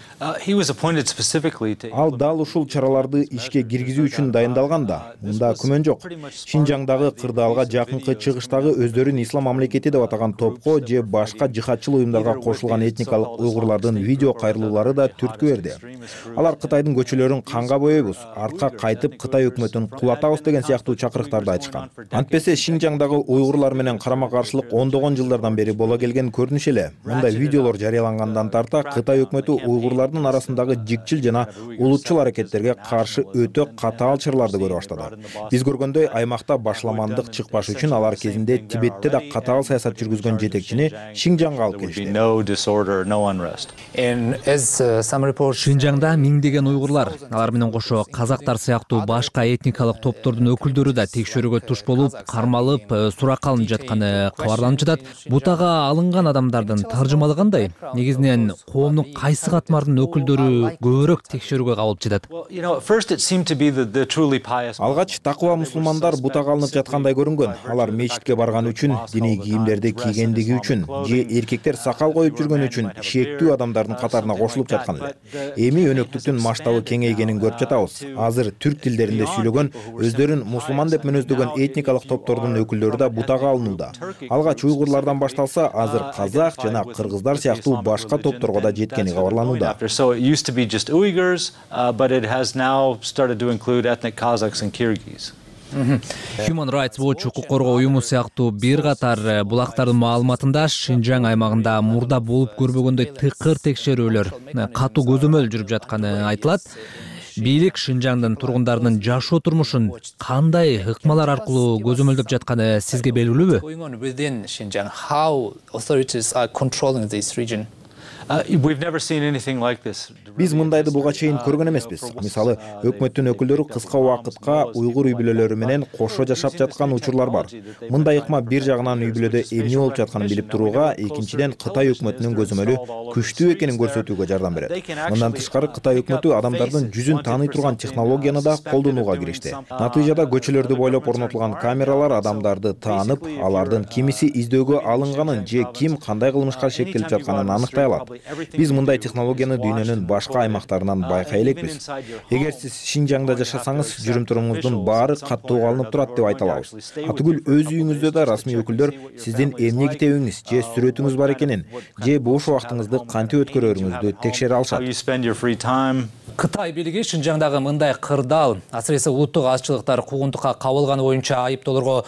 [SPEAKER 20] Ал дал ушул чараларды ишке киргизүү үчүн дайындалган да. Мында күмөн жок. Шинжаңдагы кырдаалга жакынкы чыгыштагы өздөрүн ислам мамлекети деп атаган топко же башка жихадчыл уюмдарга кошулган этникалык уйгурлардын видео кайрылуулары да түрткү берди. Алар Кытайдын көчөлөрүн канга боебуз, артка кайтып Кытай өкмөтүн кулатабыз деген сыяктуу чакырыктарды айтышкан. Антпесе Шинжаңдагы уйгурлар менен карама-каршылык ондогон жылдардан бери боло келген көрүнүш эле. Мындай видеолор жарыялангандан тарта Кытай өкмөтү уйгурлардын арасындагы жикчил жана улутчул аракеттерге каршы өтө катаал чараларды көрө баштады. Биз көргөндөй аймакта башламандык чыкпаш үчүн алар кезинде Тибетте да катаал саясат жүргүзгөн жетекчини Шинжаңга алып келишти.
[SPEAKER 18] Шинжаңда миңдеген уйгурлар, алар менен кошо казактар сыяктуу башка этникалык топтордун өкүлдөрү да текшөрүүгө туш болуп, кармалып, суракка алынып жатканы кабарланып жатат. Бутага алынган адамдардын таржымалы кандай? Негизинен коомдун кайсы катмардын өкүлдөрү көбүрөөк текшерүүгө кабылып жатат?
[SPEAKER 20] Алгач такыба мусулмандар бутага алынып жаткандай көрүнгөн. Алар мечитке барган үчүн, диний кийимдерди кийгендиги үчүн же эркектер сакал коюп жүргөн үчүн шектүү адамдардын катарына кошулуп жаткан эле. Эми өнөктүктүн масштабы кеңейгенин көрүп жатабыз. Азыр түрк тилдеринде сүйлөгөн, өздөрүн мусулман деп мүнөздөгөн этникалык топтордун өкүлдөрү да бутага алынууда. Алгач уйгурлардан башталса, азыр казак жана кыргыздар сыяктуу башка топторго да жеткени кабарланууда.
[SPEAKER 9] Human Rights Watch укук коргоо уюму сыяктуу бир катар булактардын маалыматында Шинжаң аймагында мурда болуп көрбөгөндөй тыкыр текшерүүлөр, катуу көзөмөл жүрүп жатканы айтылат. Бийлик Шинжаңдын тургундарынын жашоо турмушун кандай ыкмалар аркылуу көзөмөлдөп жатканы сизге белгилүүбү?
[SPEAKER 20] Биз мындайды буга чейин көргөн эмеспиз. Мисалы, өкмөттүн өкүлдөрү кыска убакытка уйгур үй бүлөлөрү менен кошо жашап жаткан учурлар бар. Мындай ыкма бир жагынан үй бүлөдө эмне болуп жатканын билип турууга, экинчиден Кытай өкмөтүнүн көзөмөлү күчтүү экенин көрсөтүүгө жардам берет. Мындан тышкары Кытай өкмөтү адамдардын жүзүн тааный турган технологияны да колдонууга киришти. Натыйжада көчөлөрдү бойлоп орнотулган камералар адамдарды таанып, алардын кимиси издөөгө алынганын же ким кандай кылмышка шектелип жатканын аныктай алат. Биз мындай технологияны дүйнөнүн башка аймактарынан байкай элекпиз. Эгер сиз Шинжаңда жашасаңыз, жүрүм-турумуңуздун баары каттоого алынып турат деп айта алабыз. Атүгүл өз үйүңүздө да расмий өкүлдөр сиздин эмне китебиңиз же сүрөтүңүз бар экенин, же бош убактыңызды кантип өткөрөрүңүздү текшере алышат.
[SPEAKER 18] Кытай бийлиги Шинжаңдагы мындай кырдаал, асыресе улуттук азчылыктар куугунтукка кабылганы боюнча айыптоолорго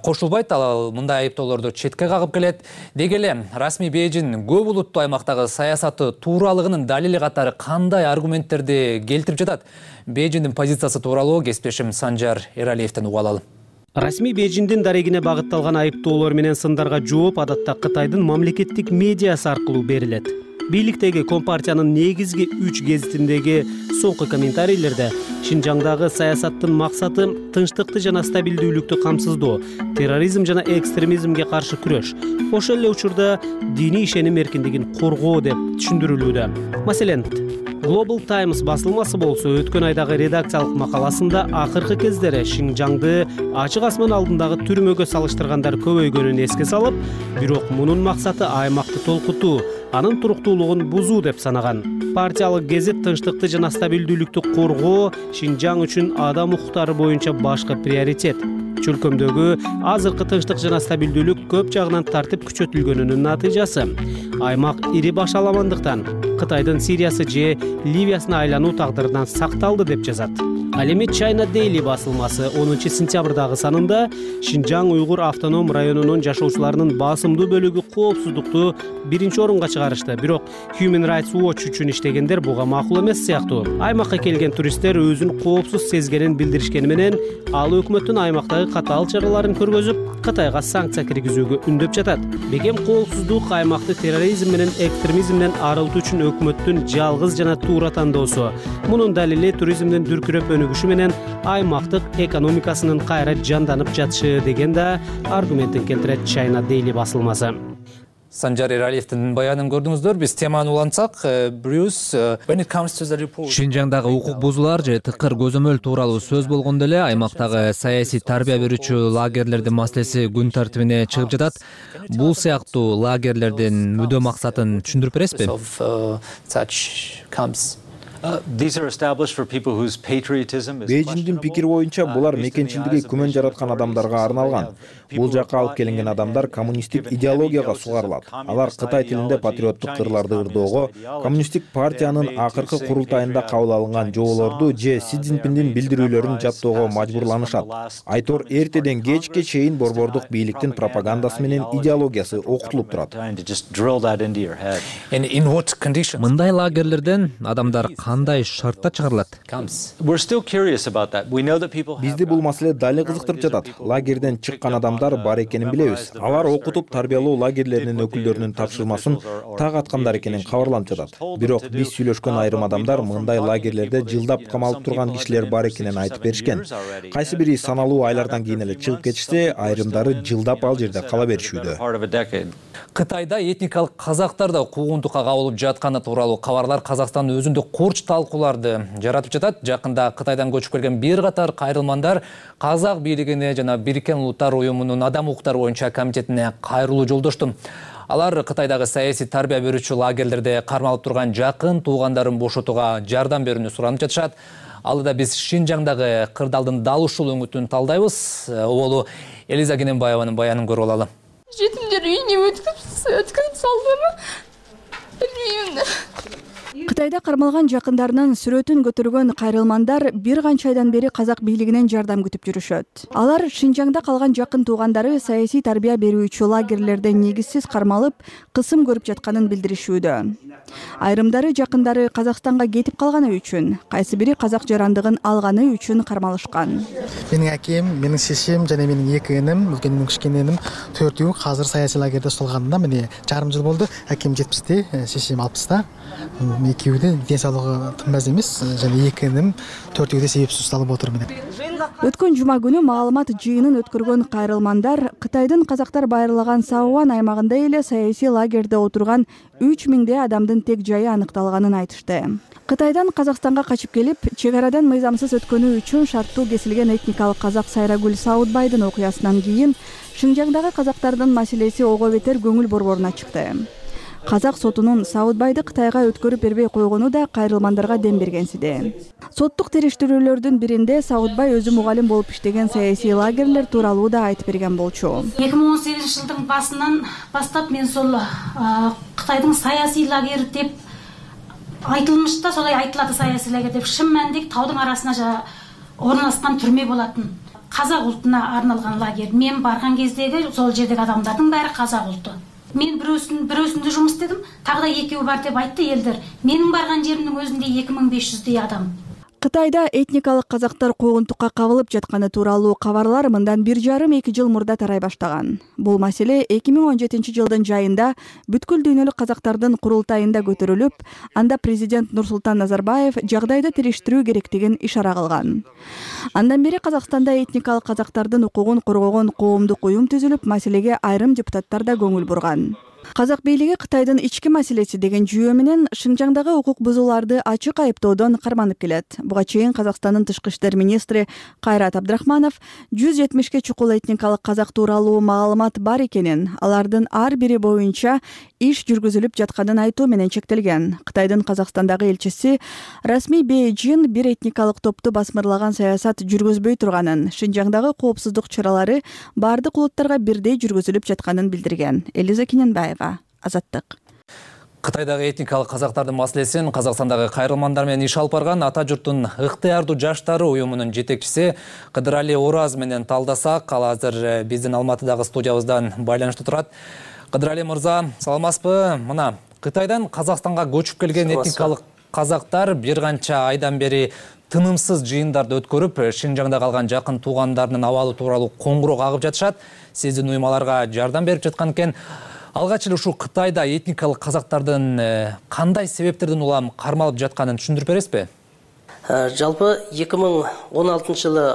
[SPEAKER 18] кошулбайт, ал мындай айыптоолорду четке кагып келет. Деги эле расмий Бейжин көп улуттуу аймактагы саясаты тууралыгынын далили катары кандай аргументтерди келтирип жатат? Бейжиндин позициясы тууралуу кесиптешим Санжар Эралиевден угуп алалы.
[SPEAKER 21] Расмий Бейжиндин дарегине багытталган айыптоолор менен сындарга жооп адатта Кытайдын мамлекеттик медиасы аркылуу берилет. Бийликтеги Компартиянын негизги үч гезитиндеги соңку комментарийлерде Шинжаңдагы саясаттын максаты тынчтыкты жана стабилдүүлүктү камсыздоо, терроризм жана экстремизмге каршы күрөш, ошол эле учурда диний ишеним эркиндигин коргоо деп түшүндүрүлүүдө. Маселен, Global Times басылмасы болсо өткөн айдагы редакциялык макаласында акыркы кездери Шинжаңды ачык асман алдындагы түрмөгө салыштыргандар көбөйгөнүн эске салып, бирок мунун максаты аймакты толкутуу, анын туруктуулугун бузуу деп санаган. Партиялык гезит тынчтыкты жана стабилдүүлүктү коргоо Шинжаң үчүн адам укуктары боюнча башкы приоритет. Чөлкөмдөгү азыркы тынчтык жана стабилдүүлүк көп жагынан тартип күчөтүлгөнүнүн натыйжасы. Аймак ири баш аламандыктан Кытайдын Сириясы же Ливиясына айлануу тагдырынан сакталды деп жазат. Ал эми China Daily басылмасы онунчу сентябрдагы санында Шинжаң уйгур автоном районунун жашоочуларынын басымдуу бөлүгү коопсуздукту биринчи орунга чыгарышты. Бирок Human Rights Watch үчүн иштегендер буга макул эмес сыяктуу. Аймакка келген туристтер өзүн коопсуз сезгенин билдиришкени менен ал өкмөттүн аймактагы катаал чараларын көргөзүп, Кытайга санкция киргизүүгө үндөп жатат. Бегем коопсуздук аймакты терроризм менен экстремизмден арылтуу үчүн өкмөттүн жалгыз жана туура тандоосу. Мунун далили туризмдин дүркүрөп өнүгүшү менен аймактык экономикасынын кайра жанданып жатышы деген да аргументин келтирет China Daily басылмасы.
[SPEAKER 18] Санжар Эралиевдин баянын көрдүңүздөр. Биз теманы улантсак, Брюс,
[SPEAKER 9] Шинжаңдагы укук бузуулар же тыкыр көзөмөл тууралуу сөз болгондо эле аймактагы саясий тарбия берүүчү лагерлердин маселеси күн тартибине чыгып жатат. Бул сыяктуу лагерлердин мүдө максатын түшүндүрүп бересизби?
[SPEAKER 20] Бейжиндин пикири боюнча булар мекенчилдиги күмөн жараткан адамдарга арналган. Бул жакка алып келинген адамдар коммунисттик идеологияга сугарылат. Алар Кытай тилинде патриоттук кырларды ырдоого, коммунисттик партиянын акыркы курултайында кабыл алынган жоболорду же Си Цзиньпиндин билдирүүлөрүн жаттоого мажбурланышат. Айтор эртеден кечке чейин борбордук бийликтин пропагандасы менен идеологиясы окутулуп турат.
[SPEAKER 9] Мындай лагерлерден адамдар кандай шартта чыгарылат?
[SPEAKER 20] Бизди бул маселе дали кызыктырып жатат. Лагерден чыккан адамдар бар экенин билебиз. Алар окутуп тарбиялоо лагерлеринин өкүлдөрүнүн тапшырмасын так аткандар экенин кабарланып жатат. Бирок биз сүйлөшкөн айрым адамдар мындай лагерлерде жылдап камалып турган кишилер бар экенин айтып беришкен. Кайсы бири саналуу айлардан кийин эле чыгып кетишсе, айрымдары жылдап ал жерде кала беришүүдө.
[SPEAKER 18] Кытайда этникалык казактар да куугунтукка кабылып жатканы тууралуу кабарлар Казакстандын өзүндө курч талкууларды жаратып жатат. Жакында Кытайдан көчүп келген бир катар кайрылмандар казак бийлигине жана Бириккен Улуттар уюмунун адам укуктары боюнча комитетине кайрылуу жолдошту. Алар Кытайдагы саясий тарбия берүүчү лагерлерде кармалып турган жакын туугандарын бошотууга жардам берүүнү суранып жатышат. Алда биз Шинжаңдагы кырдаалдын дал ушул өңүтүн талдайбыз. Оболу Элиза Кененбаеванын баянын көрүп алалы.
[SPEAKER 11] Жетимдер үйүнө өткөрүп салдымы? Билбейм.
[SPEAKER 10] Кытайда кармалган жакындарынын сүрөтүн көтөргөн кайрылмандар бир канча айдан бери казак бийлигинен жардам күтүп жүрүшөт. Алар Шинжаңда калган жакын туугандары саясий тарбия берүүчү лагерлерде негизсиз кармалып, кысым көрүп жатканын билдиришүүдө. Айрымдары жакындары Казакстанга кетип калганы үчүн, кайсы бири казак жарандыгын алганы үчүн кармалышкан.
[SPEAKER 4] Менин акем, менин шешем жана менин эки энем, үлкеним, кичкене энем төртөө азыр саясий лагерде ұсталғанына міне жарым жыл болды. Акем жетимиште, шешем алпыста. Экөөү да ден соолугу тынбас эмес, жана эки энем төртөө да себепсиз ұсталып отур міне.
[SPEAKER 10] Өткөн жума күнү маалымат жыйынын өткөргөн кайрылмандар Кытайдын казактар байырлаган Саован аймагында эле саясий лагерде отурган үч миңдей адамдын тек жайы аныкталганын айтышты. Кытайдан Казакстанга качып келип, чек арадан мыйзамсыз өткөнү үчүн шарттуу кесилген этникалык казак Сайрагүл Саудбайдын окуясынан кийин Шинжаңдагы казактардын маселеси ого бетер көңүл борборуна чыкты. Казак сотунун Саудбайды Кытайга өткөрүп бербей койгону да кайрылмандарга дем бергенсиде. Соттук териштирүүлөрдүн биринде Саудбай өзү мугалим болуп иштеген саясий лагерлер тууралуу да айтып берген болчу.
[SPEAKER 22] эки миң он сегизинчи жылдын басынан бастап мен сол Кытайдын саясий лагери деп айтылмышта, солай айтылады саясий лагер деп, шын мәнинде таудын арасына орналашкан түрмө болатын. Казак ултуна арналган лагер. Мен барган кездеги сол жердеги адамдардын баары казак улту. Мен бирөөсүн бирөөсүндө жумуш истедим, тагы да экөө бар деп айтты элдер. Менин барган жеримдин өзүндө эки миң беш жүздөй адам.
[SPEAKER 10] Кытайда этникалык казактар куугунтукка кабылып жатканы тууралуу кабарлар мындан бир жарым эки жыл мурда тарай баштаган. Бул маселе эки миң он жетинчи жылдын жайында бүткүл дүйнөлүк казактардын курултайында көтөрүлүп, анда президент Нурсултан Назарбаев жагдайды териштирүү керектигин ишара кылган. Андан бери Казакстанда этникалык казактардын укугун коргогон коомдук уюм түзүлүп, маселеге айрым депутаттар да көңүл бурган. Казак бийлиги Кытайдын ички маселеси деген жүйө менен Шинжаңдагы укук бузууларды ачык айыптоодон карманып келет. Буга чейин Казакстандын тышкы иштер министри Кайрат Абдрахманов жүз жетимишке чукул этникалык казак тууралуу маалымат бар экенин, алардын ар бири боюнча иш жүргүзүлүп жатканын айтуу менен чектелген. Кытайдын Казакстандагы элчиси расмий Бейжин бир этникалык топту басмырлаган саясат жүргүзбөй турганын, Шинжаңдагы коопсуздук чаралары бардык улуттарга бирдей жүргүзүлүп жатканын билдирген. Элиза Кененбаева, Азаттык.
[SPEAKER 18] Кытайдагы этникалык казактардын маселесин Казакстандагы кайрылмандар менен иш алып барган Ата журттун ыктыярдуу жаштары уюмунун жетекчиси Кыдырали Ораз менен талдасак, ал азыр биздин Алматыдагы студиябыздан байланышта турат. Кыдырали мырза, саламатсызбы? Мына Кытайдан Казакстанга көчүп келген этникалык казактар бир канча айдан бери тынымсыз жыйындарды өткөрүп, Шинжаңда калган жакын туугандарынын абалы тууралуу коңгуроо кагып жатышат. Сиздин уюмаларга жардам берип жаткан экен. Алгач эле ушул Кытайда этникалык казактардын кандай себептерден улам кармалып жатканын түшүндүрүп бересизби?
[SPEAKER 23] Жалпы эки миң он алтынчы жылы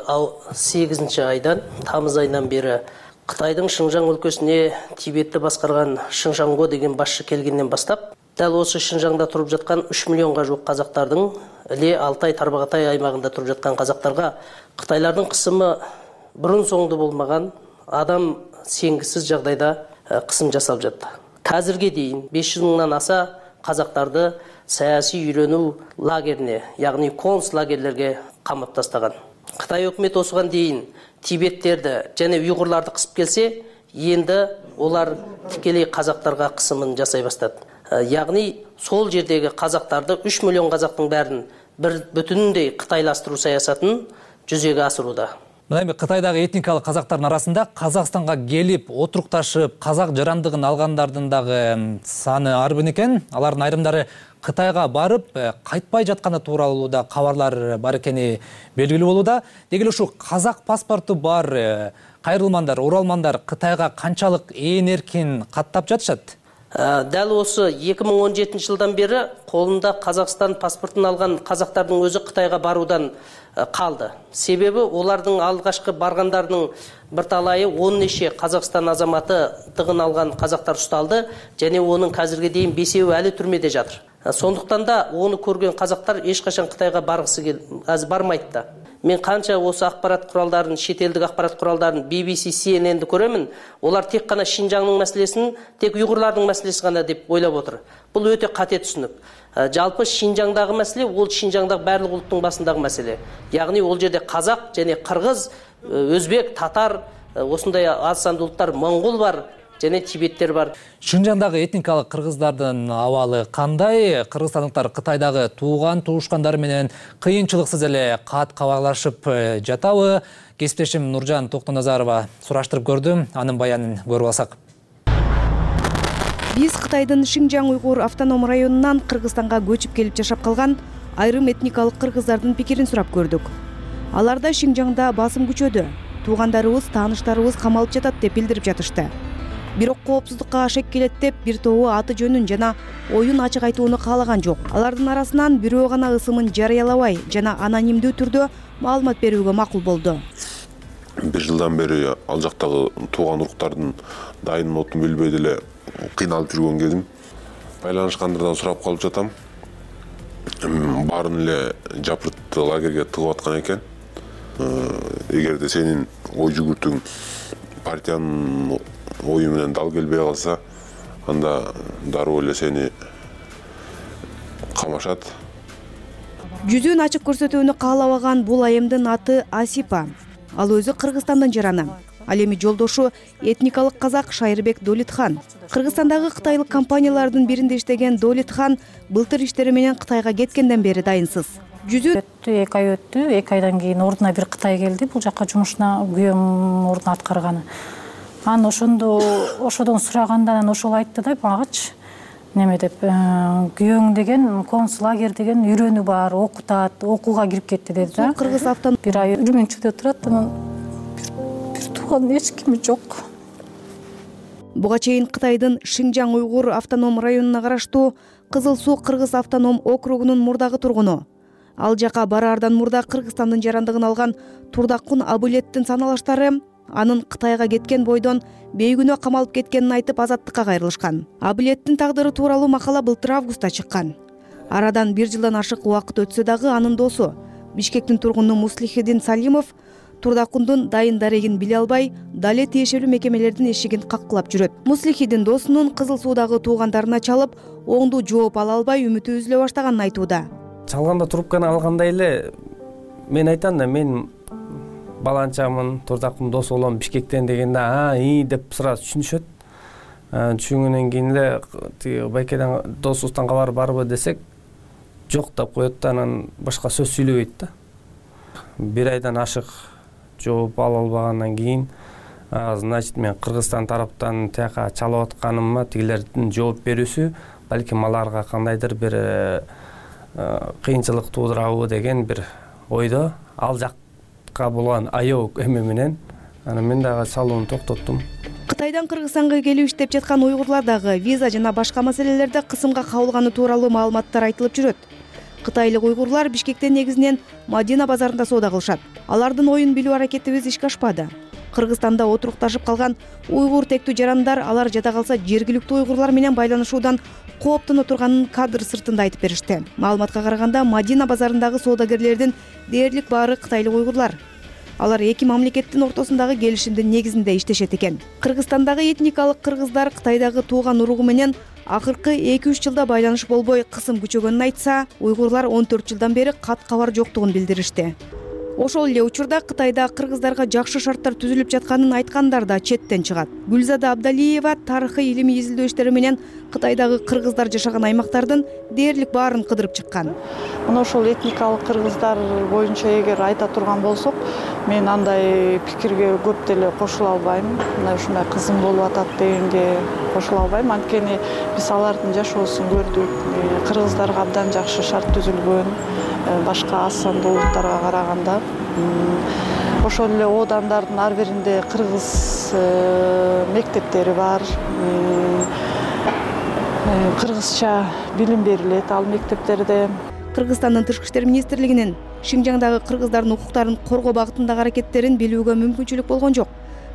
[SPEAKER 23] сегизинчи айдан, тамыз айынан бери Кытайдын Шинжаң өлкөсүнө Тибетти баскарган Шинжаңго деген башчы келгенден баштап, дал осы Шинжаңда туруп жаткан үч миллионго жук казактардын эле Алтай Тарбағатай аймагында туруп жаткан казактарга Кытайлардын кысымы бурун соңду болмаган, адам сенгисиз жагдайда кысым жасалып жатты. Казирге дейин беш жүз мыңдан аса казактарды саясий үйрөнүү лагерине, яғни концлагерлерге камап тастаган. Кытай өкмөтү осуган дейин Тибеттерди жана уйгурларды кысып келсе, енді олар тикелей казактарга кысымын жасай баштады. Яғни сол жердеги казактарды үч миллион казактын бәрін бір бүтүндөй кытайлаштыруу саясатын жүзөгө асырууда.
[SPEAKER 18] Мына эми Кытайдагы этникалык казактардын арасында Казакстанга келип отурукташып казак жарандыгын алгандардын дагы саны арбын экен. Алардын айрымдары Кытайга барып кайтпай жатканы тууралуу да кабарлар бар экени белгилүү болууда. Деги эле ушу казак паспорту бар кайрылмандар, оралмандар Кытайга канчалык ээн эркин каттап жатышат?
[SPEAKER 23] Дәл осы эки миң он жетинчи жылдан бері қолында Қазақстан паспортын алған қазақтардың өзі Қытайға барудан қалды. Себебі олардың алғашқы барғандардың бірталайы он неше Қазақстан азаматы тығын алған қазақтар ұсталды, және оның қазірге дейін бесеуі әлі түрмеде жатыр. Сондықтан да оны көрген қазақтар ешқашан Қытайға барғысы бармайды да. мен канча осы акпарат куралдарын, чет элдик акпарат куралдарын, би би си, си эн энди көрөмүн. Олар тек гана Шинжаңдын маселесин тек уйгурлардын маселеси гана деп ойлоп отур. Бул өтө кате түшүнүк. Жалпы Шинжаңдагы маселе ол Шинжаңдагы барлык улуттун басындагы маселе. Ягни ол жерде казак және кыргыз, өзбек, татар, осындай аз сандуу улуттар, моңгол бар және тибеттер бар.
[SPEAKER 18] Шинжаңдагы этникалык кыргыздардын абалы кандай? Кыргызстандыктар Кытайдагы тууган туушкандары менен кыйынчылыксыз эле кат кабарлашып жатабы? Кесиптешим Нуржан Токтоназарова сураштырып көрдү. Анын баянын көрүп алсак.
[SPEAKER 5] Биз Кытайдын Шинжаң уйгур автоном районунан Кыргызстанга көчүп келип жашап калган айрым этникалык кыргыздардын пикирин сурап көрдүк. Аларда Шинжаңда басым күчөдү. Туугандарыбыз, тааныштарыбыз камалып жатат деп билдирип жатышты. Бирок коопсуздукка ашек келет деп бир тобу аты жөнүн жана оюн ачык айтууну каалаган жок. Алардын арасынан бирөө гана ысымын жарыялабай жана анонимдүү түрдө маалымат берүүгө макул болду.
[SPEAKER 12] Бир жылдан бери ал жактагы тууган уруктардын дайын отун билбей деле кыйналып жүргөн кезим. Байланышкандардан сурап калып жатам. Баарын эле жапырт лагерге тыгып аткан экен. Эгерде сенин ой жүгүртүң партиянын ою менен дал келбей калса, анда дароо эле сени камашат.
[SPEAKER 5] Жүзүн ачык көрсөтүүнү каалабаган бул айымдын аты Асипа. Ал өзү Кыргызстандан жараны. Ал эми жолдошу этникалык казак Шайырбек Долитхан. Кыргызстандагы кытайлык компаниялардын биринде иштеген Долитхан былтыр иштери менен Кытайга кеткенден бери дайынсыз. Жүзү
[SPEAKER 13] өттү, эки ай өттү. эки айдан кийин ордуна бир Кытай келди. Бул жакка жумушуна күйөөм ордуна аткарганы. Анан ошондо ошодон сураганда анан ошол айтты да магачы неме деп, күйөөң деген концлагер деген үйрөнүү бар, окутат, окууга кирип кетти деди да.
[SPEAKER 5] Кыргыз автоном
[SPEAKER 13] бир ай Үрүмүнчүдө турат, анан бир тууган эч кими жок.
[SPEAKER 5] Буга чейин Кытайдын Шинжаң уйгур автоном районуна караштуу Кызыл Суу Кыргыз автоном округунун мурдагы тургуну. Ал жака бараардан мурда Кыргызстандын жарандыгын алган Турдакун Абылеттин саналаштары анын Кытайга кеткен бойдон бейгүнөө камалып кеткенин айтып азаттыкка кайрылышкан. Абылеттин тагдыры тууралуу макала былтыр августта чыккан. Арадан бир жылдан ашык убакыт өтсө дагы анын досу Бишкектин тургуну Муслихидин Салимов Турдакундун дайын дарегин биле албай, дале тиешелүү мекемелердин эшигин каккылап жүрөт. Муслихидин досунун Кызыл Суудагы туугандарына чалып, оңдуу жооп ала албай үмүтү үзүлө баштаганын айтууда.
[SPEAKER 24] Чалганда трубканы алгандай эле мен айтам да, мен баланчамын, Турдакун дос болом Бишкектен дегенде, а, и деп сразу түшүнүшөт. Түшүнгөндөн кийин эле тиги байкеден досубуздан кабар барбы десек, жок деп коет да, анан башка сөз сүйлөбөйт да. Бир айдан ашык жооп ала албагандан кийин, значит мен Кыргызстан тараптан тияка чалып атканыма тигилердин жооп берүүсү балким аларга кандайдыр бир кыйынчылык туудурабы деген бир ойдо, ал жакка болгон аябуу эме менен анан мен дагы чалууну токтоттум.
[SPEAKER 5] Кытайдан Кыргызстанга келип иштеп жаткан уйгурлар дагы виза жана башка маселелерде кысымга кабылганы тууралуу маалыматтар айтылып жүрөт. Кытайлык уйгурлар Бишкектен негизинен Мадина базарында соода кылышат. Алардын оюн билүү аракетибиз ишке ашпады. Кыргызстанда отурукташып калган уйгур тектүү жарандар алар жада калса жергиликтүү уйгурлар менен байланышуудан кооптоно турганын кадр сыртында айтып беришти. Маалыматка караганда Мадина базарындагы соодагерлердин дээрлик баары кытайлык уйгурлар. Алар эки мамлекеттин ортосундагы келишимдин негизинде иштешет экен. Кыргызстандагы этникалык кыргыздар Кытайдагы тууган уругу менен акыркы эки үч жылда байланыш болбой кысым күчөгөнүн айтса, уйгурлар он төрт жылдан бери кат кабар жоктугун билдиришти. Ошол эле учурда Кытайда кыргыздарга жакшы шарттар түзүлүп жатканын айткандар да четтен чыгат. Гүлзада Абдалиева тарыхый илимий изилдөө иштери менен Кытайдагы кыргыздар жашаган аймактардын дээрлик баарын кыдырып чыккан.
[SPEAKER 25] Мына ошол этникалык кыргыздар боюнча эгер айта турган болсок, мен андай пикирге көп деле кошула албайм. Мына ушундай кызым болуп атат дегенге кошула албайм. Анткени биз алардын жашоосун көрдүк. Кыргыздарга абдан жакшы шарт түзүлгөн, башка аз сандуу улуттарга караганда. Ошол эле оодандардын ар биринде кыргыз мектептери бар. Кыргызча билим берилет ал мектептерде.
[SPEAKER 5] Кыргызстандын тышкы иштер министрлигинин Шинжаңдагы кыргыздардын укуктарын коргоо багытындагы аракеттерин билүүгө мүмкүнчүлүк болгон жок.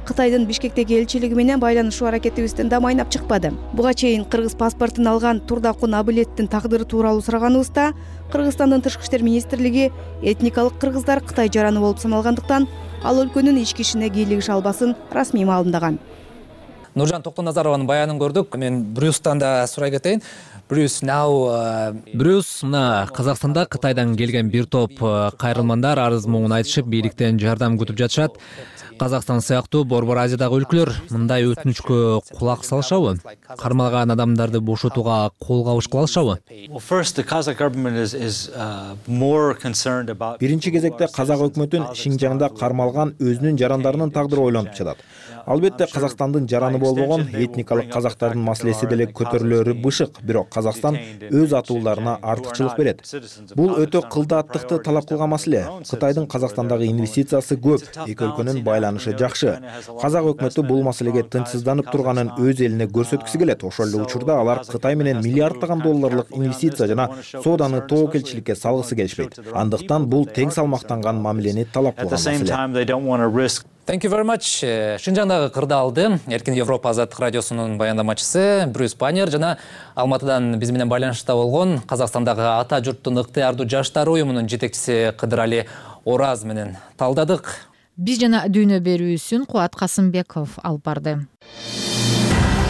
[SPEAKER 5] Кытайдын Бишкектеги элчилиги менен байланышуу аракетибизден да майнап чыкпады. Буга чейин кыргыз паспортун алган Турдакун Абылеттин тагдыры тууралуу сураганыбызда Кыргызстандын Тышкы иштер министрлиги этникалык кыргыздар Кытай жараны болуп саналгандыктан ал өлкөнүн ички ишине кийлигише албасын расмий маалымдаган.
[SPEAKER 18] Нуржан Токтоназарованын баянын көрдүк. Мен Брюстан да сурай кетейин. Брюс, now
[SPEAKER 9] Брюс, мына Казакстанда Кытайдан келген бир топ кайрылмандар арыз муңун айтышып, бийликтен жардам күтүп жатышат. Казакстан сыяктуу Борбор Азиядагы өлкөлөр мындай өтүнүчкө кулак салышабы? Кармалган адамдарды бошотууга кол кабыш кылышабы?
[SPEAKER 20] Биринчи кезекте Казак өкмөтүн Шинжаңда кармалган өзүнүн жарандарынын тагдыры ойлонуп жатат. Албетте Казакстандын жараны болбогон этникалык казактардын маселеси деле көтөрүлөрү бышык, бирок Казакстан өз атууларына артыкчылык берет. Бул өтө кылдааттыкты талап кылган маселе. Кытайдын Казакстандагы инвестициясы көп, эки өлкөнүн байланышы жакшы. Казак өкмөтү бул маселеге тынчсызданып турганын өз элине көрсөткүсү келет. Ошол эле учурда алар Кытай менен миллиарддаган долларлык инвестиция жана сооданы тобокелчиликке салгысы келишпейт. Андыктан бул тең салмактанган мамилени талап кылган маселе.
[SPEAKER 18] Thank you very much. Шинжаңдагы кырдаалды Эркин Европа Азаттык радиосунун баяндамачысы Брюс Баннер жана Алматыдан биз менен байланышта болгон Казакстандагы ата журттун ыктыярдуу жаштар уюмунун жетекчиси Кыдырали Ораз менен талдадык.
[SPEAKER 1] Биз жана дүйнө берүүсүн Кубат Касымбеков алып барды.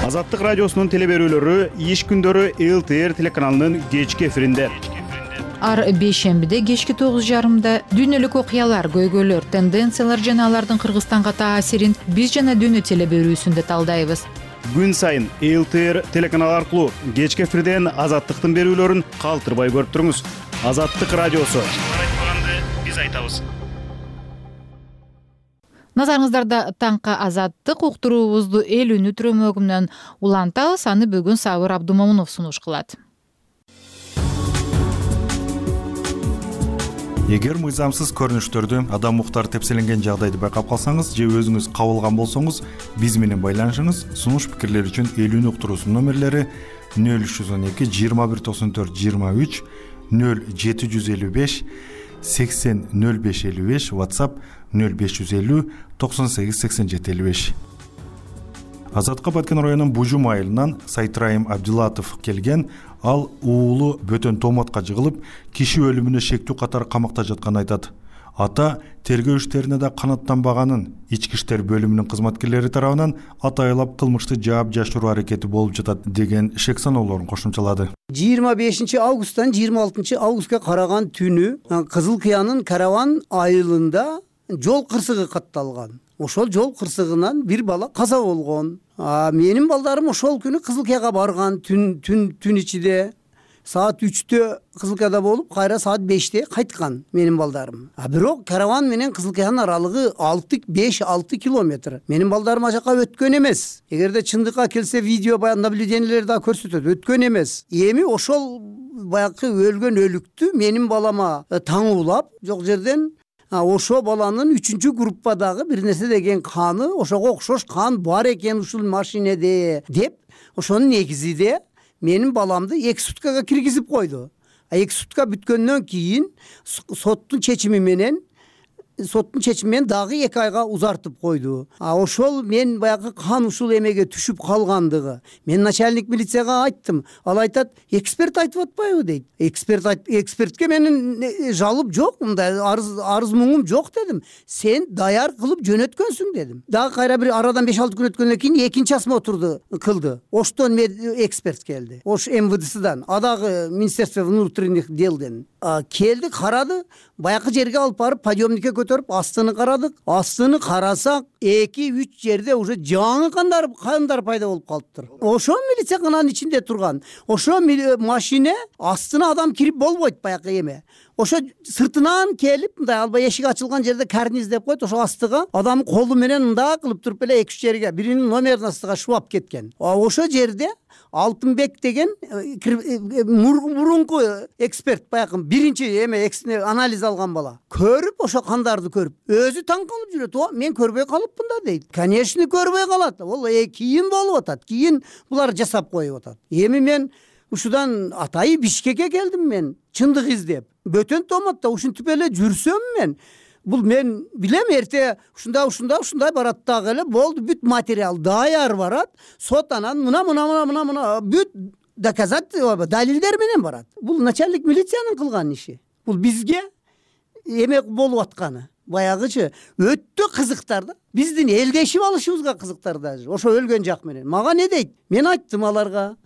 [SPEAKER 3] Азаттык радиосунун теле берүүлөрү иш күндөрү Эл Т Р телеканалынын кечки эфиринде.
[SPEAKER 1] Ар бейшембиде кечки тогуз жарымда дүйнөлүк окуялар, көйгөйлөр, тенденциялар жана алардын Кыргызстанга таасирин биз жана дүйнө теле берүүсүндө талдайбыз.
[SPEAKER 3] Күн сайын Эл Т Р телеканалы аркылуу кечки эфирден Азаттыктын берүүлөрүн калтырбай көрүп туруңуз. Азаттык радиосу. Айтпаганды биз айтабыз.
[SPEAKER 1] Назарыңыздарда таңкы Азаттык уктуруубузду эл үнү түрөмөгүнөн улантабыз. Аны бүгүн Сабыр Абдумомунов сунуш кылат.
[SPEAKER 17] Эгер мыйзамсыз көрүнүштөрдү, адам укуктары тепселенген жагдайды байкап калсаңыз же өзүңүз кабылган болсоңуз, биз менен байланышыңыз. Сунуш пикирлер үчүн эл үнү уктуруусунун номерлери нөл үч жүз он эки жыйырма бир токсон төрт жыйырма үч, нөл жети жүз элүү беш сексен нөл беш элүү беш, WhatsApp нөл беш жүз элүү токсон сегиз сексен жети элүү беш. Азатка Баткен районунун Бужум айылынан Сайтрайым Абдулатов келген. Ал уулу бөтөн томатка жыгылып, киши өлүмүнө шектүү катары камакта жатканын айтат. Ата тергөө иштерине да канаттанбаганын, ички иштер бөлүмүнүн кызматкерлери тарабынан атайлап кылмышты жаап жашыруу аракети болуп жатат деген шек саноолорун кошумчалады.
[SPEAKER 7] жыйырма бешинчи августтан жыйырма алтынчы августка караган түнү Кызыл Кыянын Караван айылында жол кырсыгы катталган. Ошол жол кырсыгынан бир бала каза болгон. Менин балдарым ошол күнү Кызыл Кыяга барган, түн түн түн ичинде саат үчтө Кызыл Кыяда болуп, кайра саат беште кайткан менин балдарым. А бирок Караван менен Кызыл Кыянын аралыгы алты беш алты километр. Менин балдарым ал жака өткөн эмес. Эгерде чындыкка келсе, видео баян наблюдениелер да көрсөтөт, өткөн эмес. Эми ошол баягы өлгөн өлүктү менин балама таңуулап, жок жерден ошо баланын үчүнчү группадагы бир нерсе деген каны, ошого окшош кан бар экен ушул машинеде деп, ошонун негизинде менин баламды эки суткага киргизип койду. А эки сутка бүткөндөн кийин соттун чечими менен соттун чечими менен дагы эки айга узартып койду. А ошол мен баягы кан ушул эмеге түшүп калгандыгы. Мен начальник милицияга айттым. Ал айтат, эксперт айтып атпайбы дейт. Эксперт айт, экспертке менин жалып жок, мындай арыз арыз муңум жок дедим. Сен даяр кылып жөнөткөнсүң дедим. Дагы кайра бир арадан беш алты күн өткөндөн кийин экинчи осмотрду кылды. Оштон эксперт келди. Ош эм вэ дэ сэдан, а дагы Министерство внутренних делден келди, карады, баягы жерге алып барып подъемникке көтөрүп астыны карадык. Астыны карасак, эки үч жерде уже жаңы кандар кандар пайда болуп калыптыр. Ошо милиция кананын ичинде турган. Ошо машине астына адам кирип болбойт баягы эме. Ошо сыртынан келип, мындай албай эшик ачылган жерде карниз деп койт, ошо астыга адам колу менен мындай кылып туруп эле эки үч жерге биринин номерин астыга шубап кеткен. Ошо жерде Алтынбек деген мурунку эксперт, баягы биринчи эме анализ алган бала, көрүп, ошо кандарды көрүп, өзү таң калып жүрөт. О, мен көрбөй калыпмын да дейт. Конечно, көрбөй калат. Ол кийин болуп атат. Кийин булар жасап коюп атат. Эми мен ушудан атайы Бишкекке келдим, мен чындык издеп. Бөтөн томатта ушинтип эле жүрсөм, мен бул мен билем эрте ушундай ушундай ушундай барат дагы эле болду, бүт материал даяр барат, сот анан мына мына мына мына мына бүт доказательство далилдер менен барат. Бул начальник милициянын кылган иши. Бул бизге эме болуп атканы баягычы өтө кызыктар да. Биздин элдешип алышыбызга кызыктар даже. Ошо өлгөн жак менен. Мага не дейт? Мен айттым аларга.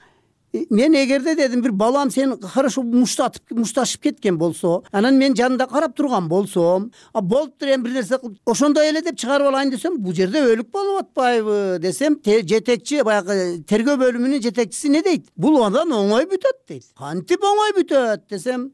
[SPEAKER 7] Мен эгерде дедим бир балам сен хорошо муштатып мушташып кеткен болсо, анан мен жанында карап турган болсом, а болуптур эми бир нерсе кылып, ошондой эле деп чыгарып алайын десем, бул жерде өлүк болуп атпайбы десем, жетекчи баягы тергөө бөлүмүнүн жетекчиси не дейт? Бул андан оңой бүтөт дейт. Кантип оңой бүтөт десем,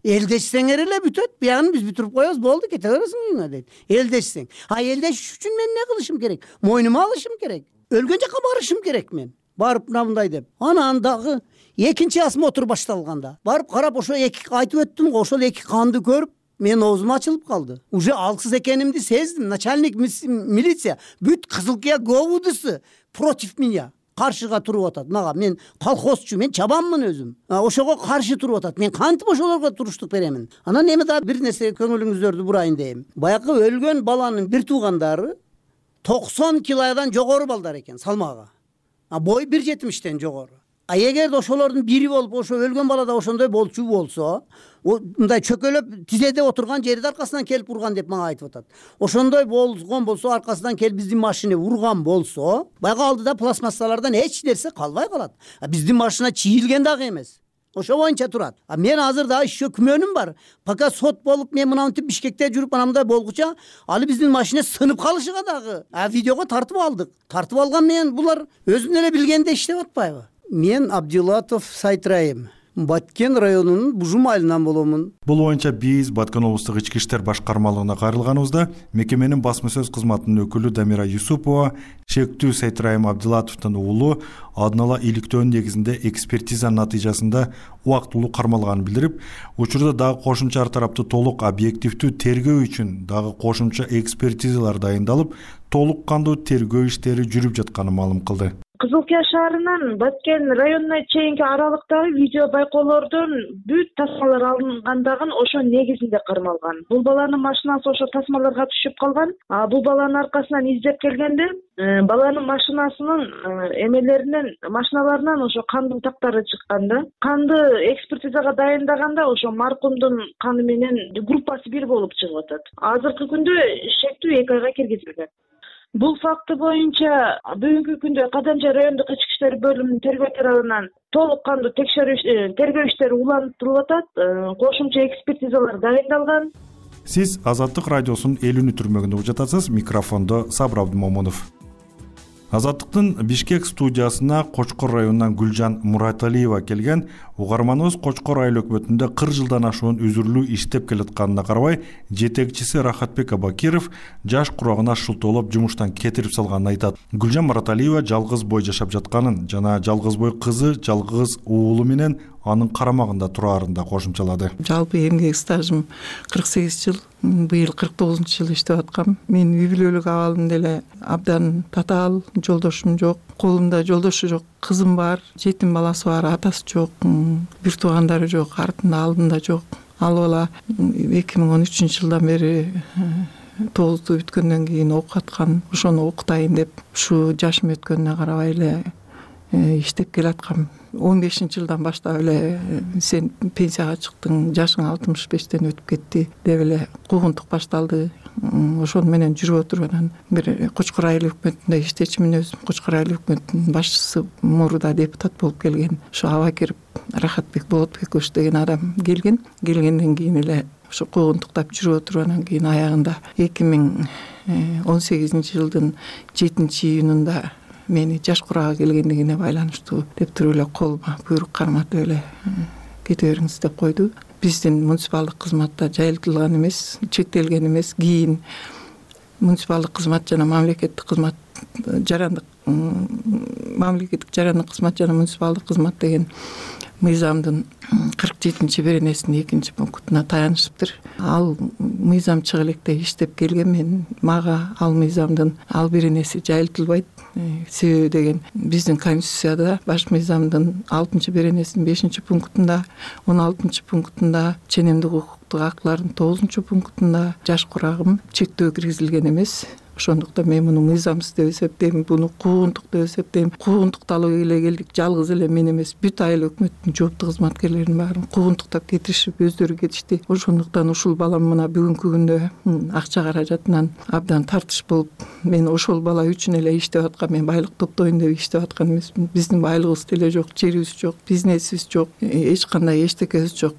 [SPEAKER 7] элдешсеңер эле бүтөт, буягын биз бүтүрүп коебуз, болду, кете бересиң үйүңө дейт. Элдешсең. А элдешиш үчүн мен эмне кылышым керек? Мойнума алышым керек. Өлгөн жакка барышым керек мен. Барып мындай деп. Анан дагы экинчи осмотр башталганда барып карап ошо эки айтып өттүм го, ошол эки канды көрүп мен оозум ачылып калды. Уже алсыз экенимди сездим. Начальник милиция бүт Кызыл Кыя ГОУДысы против меня. Каршыга туруп атат. Мага мен колхозчу, мен чабанмын өзүм. Ошого каршы туруп атат. Мен кантип ошолорго туруштук беремин? Анан эми да бир нерсе көңүлүңүздөрдү бурайын дейм. Баягы өлгөн баланын бир туугандары токсон килодан жогору балдар экен салмагы. А бой бир жетимиштен жогору. А эгерде ошолордун бири болуп, ошо өлгөн бала да ошондой болчу болсо, мындай чөкөлөп тизеде отурган жерде аркасынан келип урган деп мага айтып атат. Ошондой болгон болсо, аркасынан келип биздин машина урган болсо, баягы алдыда пластмассалардан эч нерсе калбай калат. А биздин машина чийилген дагы эмес. Ошо боюнча турат. А мен азыр дагы еще күмөнүм бар. Пока сот болуп, мен мынантип Бишкекте жүрүп анамдай болгуча, али биздин машина сынып калышыга дагы. А видеого тартып алдык. Тартып алган менен булар өзүн эле билгенде иштеп атпайбы? Мен Абдилатов Сайтрайым. Баткен районунун Бужум айылынан боломун.
[SPEAKER 17] Бул боюнча биз Баткен облустук ички иштер башкармалыгына кайрылганыбызда мекеменин басма сөз кызматынын өкүлү Дамира Юсупова шектүү Сайтрайым Абдилатовдун уулу алдын ала иликтөөнүн негизинде экспертизанын натыйжасында убактылуу кармалганын билдирип, учурда дагы кошумча ар тараптуу толук объективдүү тергөө үчүн дагы кошумча экспертизалар дайындалып, толук кандуу тергөө иштери жүрүп жатканын маалым кылды.
[SPEAKER 6] Кызыл Кыя шаарынан Баткен районуна чейинки аралыктагы видео байкоолордон бүт тасмалар алынгандагы ошо негизинде кармалган. Бул баланын машинасы ошо тасмаларга түшүп калган. А бул баланын аркасынан издеп келгенде, баланын машинасынын эмелеринен, машиналарынан ошо кандын тактары чыккан да. Канды экспертизага дайындаганда ошо маркумдун каны менен группасы бир болуп чыгып атат. Азыркы күндө шектүү эки айга киргизилген. Бул факты боюнча бүгүнкү күндө Кадамжай райондук ички иштер бөлүмүнүн тергөө тарабынан толук кандуу текшерүү тергөө иштери улантылып атат. Кошумча экспертизалар дайындалган.
[SPEAKER 17] Сиз Азаттык радиосунун элүүнү түрмөгүндө угуп жатасыз. Микрофондо Сабыр Абдымомунов. Азаттыктын Бишкек студиясына Кочкор районунан Гүлжан Мураталиева келген. Угарманыбыз Кочкор айыл өкмөтүндө кырк жылдан ашуун үзүрлүү иштеп келатканына карабай, жетекчиси Рахатбек Абакиров жаш курагына шылтоолоп жумуштан кетирип салганын айтат. Гүлжан Мураталиева жалгыз бой жашап жатканын жана жалгыз бой кызы, жалгыз уулу менен анын карамагында турарын да кошумчалады.
[SPEAKER 8] Жалпы эмгек стажым кырк сегиз жыл, быйыл кырк тогузунчу жыл иштеп аткам. Мен үй бүлөлүк абалым деле абдан татаал, жолдошум жок, колумда жолдошу жок, кызым бар, жетим баласы бар, атасы жок, бир туугандары жок, артында алдында жок. Ал бала эки миң он үчүнчү жылдан бери тогузду бүткөндөн кийин окуп аткан, ошону окутайын деп ушу жашым өткөнүнө карабай эле иштеп келаткам. он бешинчи жылдан баштап эле сен пенсияга чыктың, жашың алтымыш бештен өтүп кетти деп эле куугунтук башталды. Ошону менен жүрүп отуруп анан бир Кочкор айыл өкмөтүндө иштечимин өзүм. Кочкор айыл өкмөтүнүн башчысы мурда депутат болуп келген. Ошо Абакиров Рахатбек Болотбекович деген адам келген. Келгенден кийин эле ошо куугунтуктап жүрүп отуруп анан кийин аягында эки миң он сегизинчи жылдын жетинчи июнунда мени жаш курага келгендигине байланыштуу деп туруп эле колума буйрук карматып эле кете бериңиз деп койду. Биздин муниципалдык кызматта жайылтылган эмес, чектелген эмес. Кийин муниципалдык кызмат жана мамлекеттик кызмат жарандык мамлекеттик жарандык кызмат жана муниципалдык кызмат деген мыйзамдын кырк жетинчи беренесинин экинчи пунктуна таянышыптыр. Ал мыйзам чыга электе иштеп келген, мен мага ал мыйзамдын ал беренеси жайылтылбайт. себеби деген биздин конституцияда баш мыйзамдын алтынчы беренесинин бешинчи пунктунда, он алтынчы пунктунда, ченемдик укуктук актылардын тогузунчу пунктунда жаш курагым чектөө киргизилген эмес. Ошондуктан мен муну мыйзамсыз деп эсептейм, буну куугунтук деп эсептейм. Куугунтукталып эле келдик, жалгыз эле мен эмес, бүт айыл өкмөттүн жооптуу кызматкерлеринин баарын куугунтуктап кетиришип өздөрү кетишти. Ошондуктан ушул балам мына бүгүнкү күндө акча каражатынан абдан тартыш болуп, мен ошол бала үчүн эле иштеп аткам, мен байлык топтойм деп иштеп аткан эмесмин. Биздин байлыгыбыз деле жок, жерибиз жок, бизнесибиз жок, эч кандай эчтекебиз жок,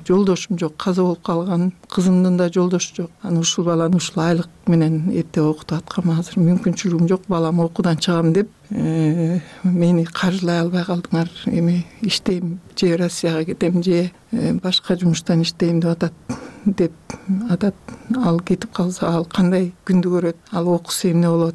[SPEAKER 8] жолдошум жок, каза болуп калган кызымдын да жолдошу жок. Анан ушул баланы ушул айлык менен эптеп окутуп аткам. Азыр мүмкүнчүлүгүм жок, балам окуудан чыгам деп мени каржылай албай калдыңар. Эми иштейм, же Россияга кетем, же башка жумуштан иштейм деп атат деп атат. Ал кетип калса ал кандай күндү көрөт, ал окуса эмне болот?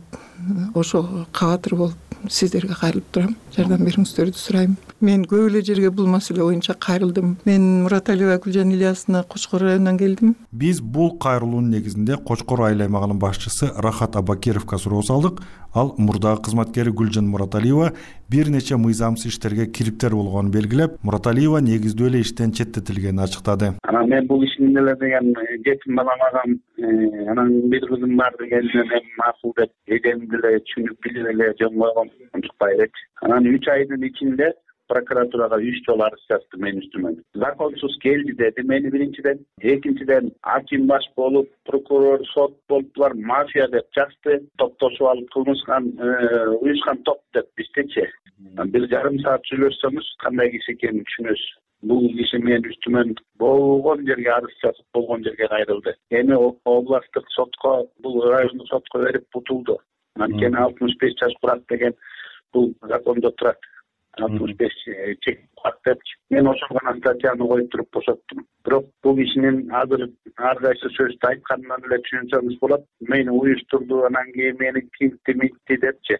[SPEAKER 8] Ошого кабатыр болуп сиздерге кайрылып турам, жардам бериңиздерди сурайм. Мен көп эле жерге бул маселе боюнча кайрылдым. Мен Мураталиева Гүлжан Ильясовна Кочкор районунан келдим.
[SPEAKER 17] Биз бул кайрылуунун негизинде Кочкор айыл аймагынын башчысы Рахат Абакировго суроо салдык. Ал мурдагы кызматкери Гүлжан Мураталиева бир нече мыйзамсыз иштерге кириптер болгонун белгилеп, Мураталиева негиздүү эле иштен четтетилгенин ачыктады.
[SPEAKER 2] Анан мен бул ишин эле деген жетим балам агам, анан бир кызым бар дегенден эми макул деп эдемди эле түшүнүп билип эле жөн койгом, унчукпай элечи. Анан үч айдын ичинде прокуратурага үч жолу арыз жазды мен үстүмө. Законсуз келди деди мени биринчиден, экинчиден аким баш болуп, прокурор, сот болуптур, мафия деп жазды, топтошуп алып кылмышкан, уюшкан топ деп биздечи. Бир жарым саат сүйлөшсөмүз кандай киши экенин түшүнөсүз. Бул киши мен үстүмөн болгон жерге арыз жазып, болгон жерге кайрылды. Эми областтык сотко, бул райондук сотко берип бутулду. Анткени алтымыш беш жаш курат деген бул закондо турат. алтымыш беш чек курат депчи. Мен ошол гана статьяны коюп туруп бошоттум. Бирок бул кишинин азыр ар кайсы сөздү айтканынан эле түшүнсөңүз болот. Мени уюштурду, анан кийин мени кимти митти депчи.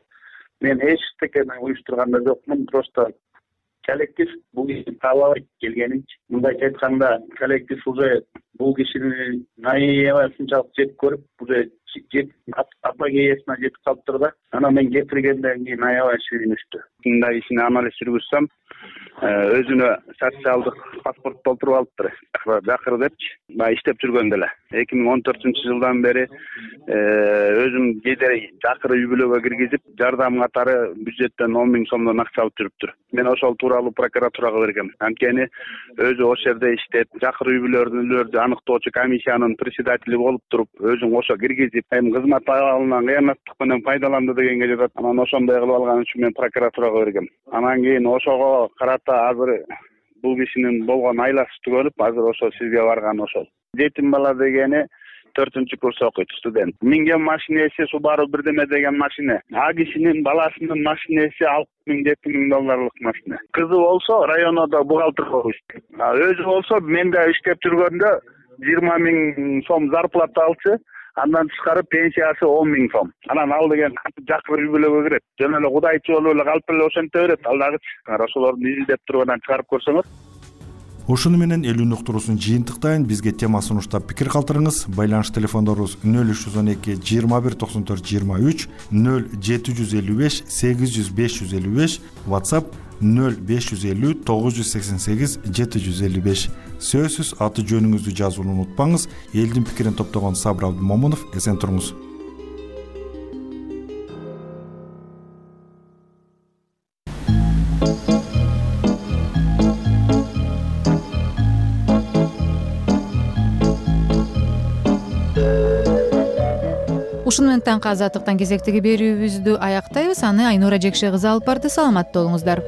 [SPEAKER 2] Мен эчтекени уюштурган да жокмун, просто коллектив бул кишини таалабайт келгенинчи. Мындайча айтканда, коллектив уже бул кишини наябасынчалык жек көрүп, уже жет апогеясына жетип калыптыр да. Анан мен кетиргенден кийин аябай сүйүнүштү. Мындай ишин анализ жүргүзсөм, өзүнө социалдык паспорт толтуруп алыптыр. Жакыр депчи, баягы иштеп жүргөндө эле. эки миң он төртүнчү жылдан бери өзүм кээде жакыр үй бүлөгө киргизип, жардам катары бюджеттен он миң сомдон акча алып жүрүптүр. Мен ошол тууралуу прокуратурага бергем. Анткени өзү ошол жерде иштеп, жакыр үй бүлөлөрдү аныктоочу комиссиянын председатели болуп туруп, өзүң ошо киргизип, эми кызмат абалынан кыянаттык менен пайдаланды дегенге жатат. Анан ошондой кылып алган үчүн мен прокуратурага бергем. Анан кийин ошого карата азыр бул кишинин болгон айласы түгөлүп, азыр ошо сизге барган ошол. Жетим бала дегени төртүнчү курс окуйт, студент. Минген машинеси Subaru бирдеме деген машина. А кишинин баласынын машинеси алты миң жети миң долларлык машина. Кызы болсо райондо бухгалтер болуп иштейт. Өзү болсо менде иштеп жүргөндө жыйырма миң сом зарплата алчу. Андан тышкары пенсиясы он миң сом. Анан ал деген жакыр үй бүлөгө кирет. Жөн эле кудайчы болуп эле калып эле ошенте берет. Ал дагычы ошолордун изилдеп тургандан чыгарып көрсөңөр.
[SPEAKER 17] Ушуну менен элүү уктуруусун жыйынтыктайын. Бизге тема сунуштап пикир калтырыңыз. Байланыш телефондорубуз нөл үч жүз он эки жыйырма бир токсон төрт жыйырма үч, нөл жети жүз элүү беш сегиз жүз беш жүз элүү беш, WhatsApp нөл беш жүз элүү тогуз жүз сексен сегиз жети жүз элүү беш. Сөзсүз аты жөнүңүздү жазууну унутпаңыз. Элдин пикирин топтогон Сабыр Абдымомунов, эсен туруңуз.
[SPEAKER 1] Ушуну менен таңкы азаттыктан кезектеги берүүбүздү аяктайбыз. Аны Айнура Жекше кызы алып барды. Саламатта болуңуздар.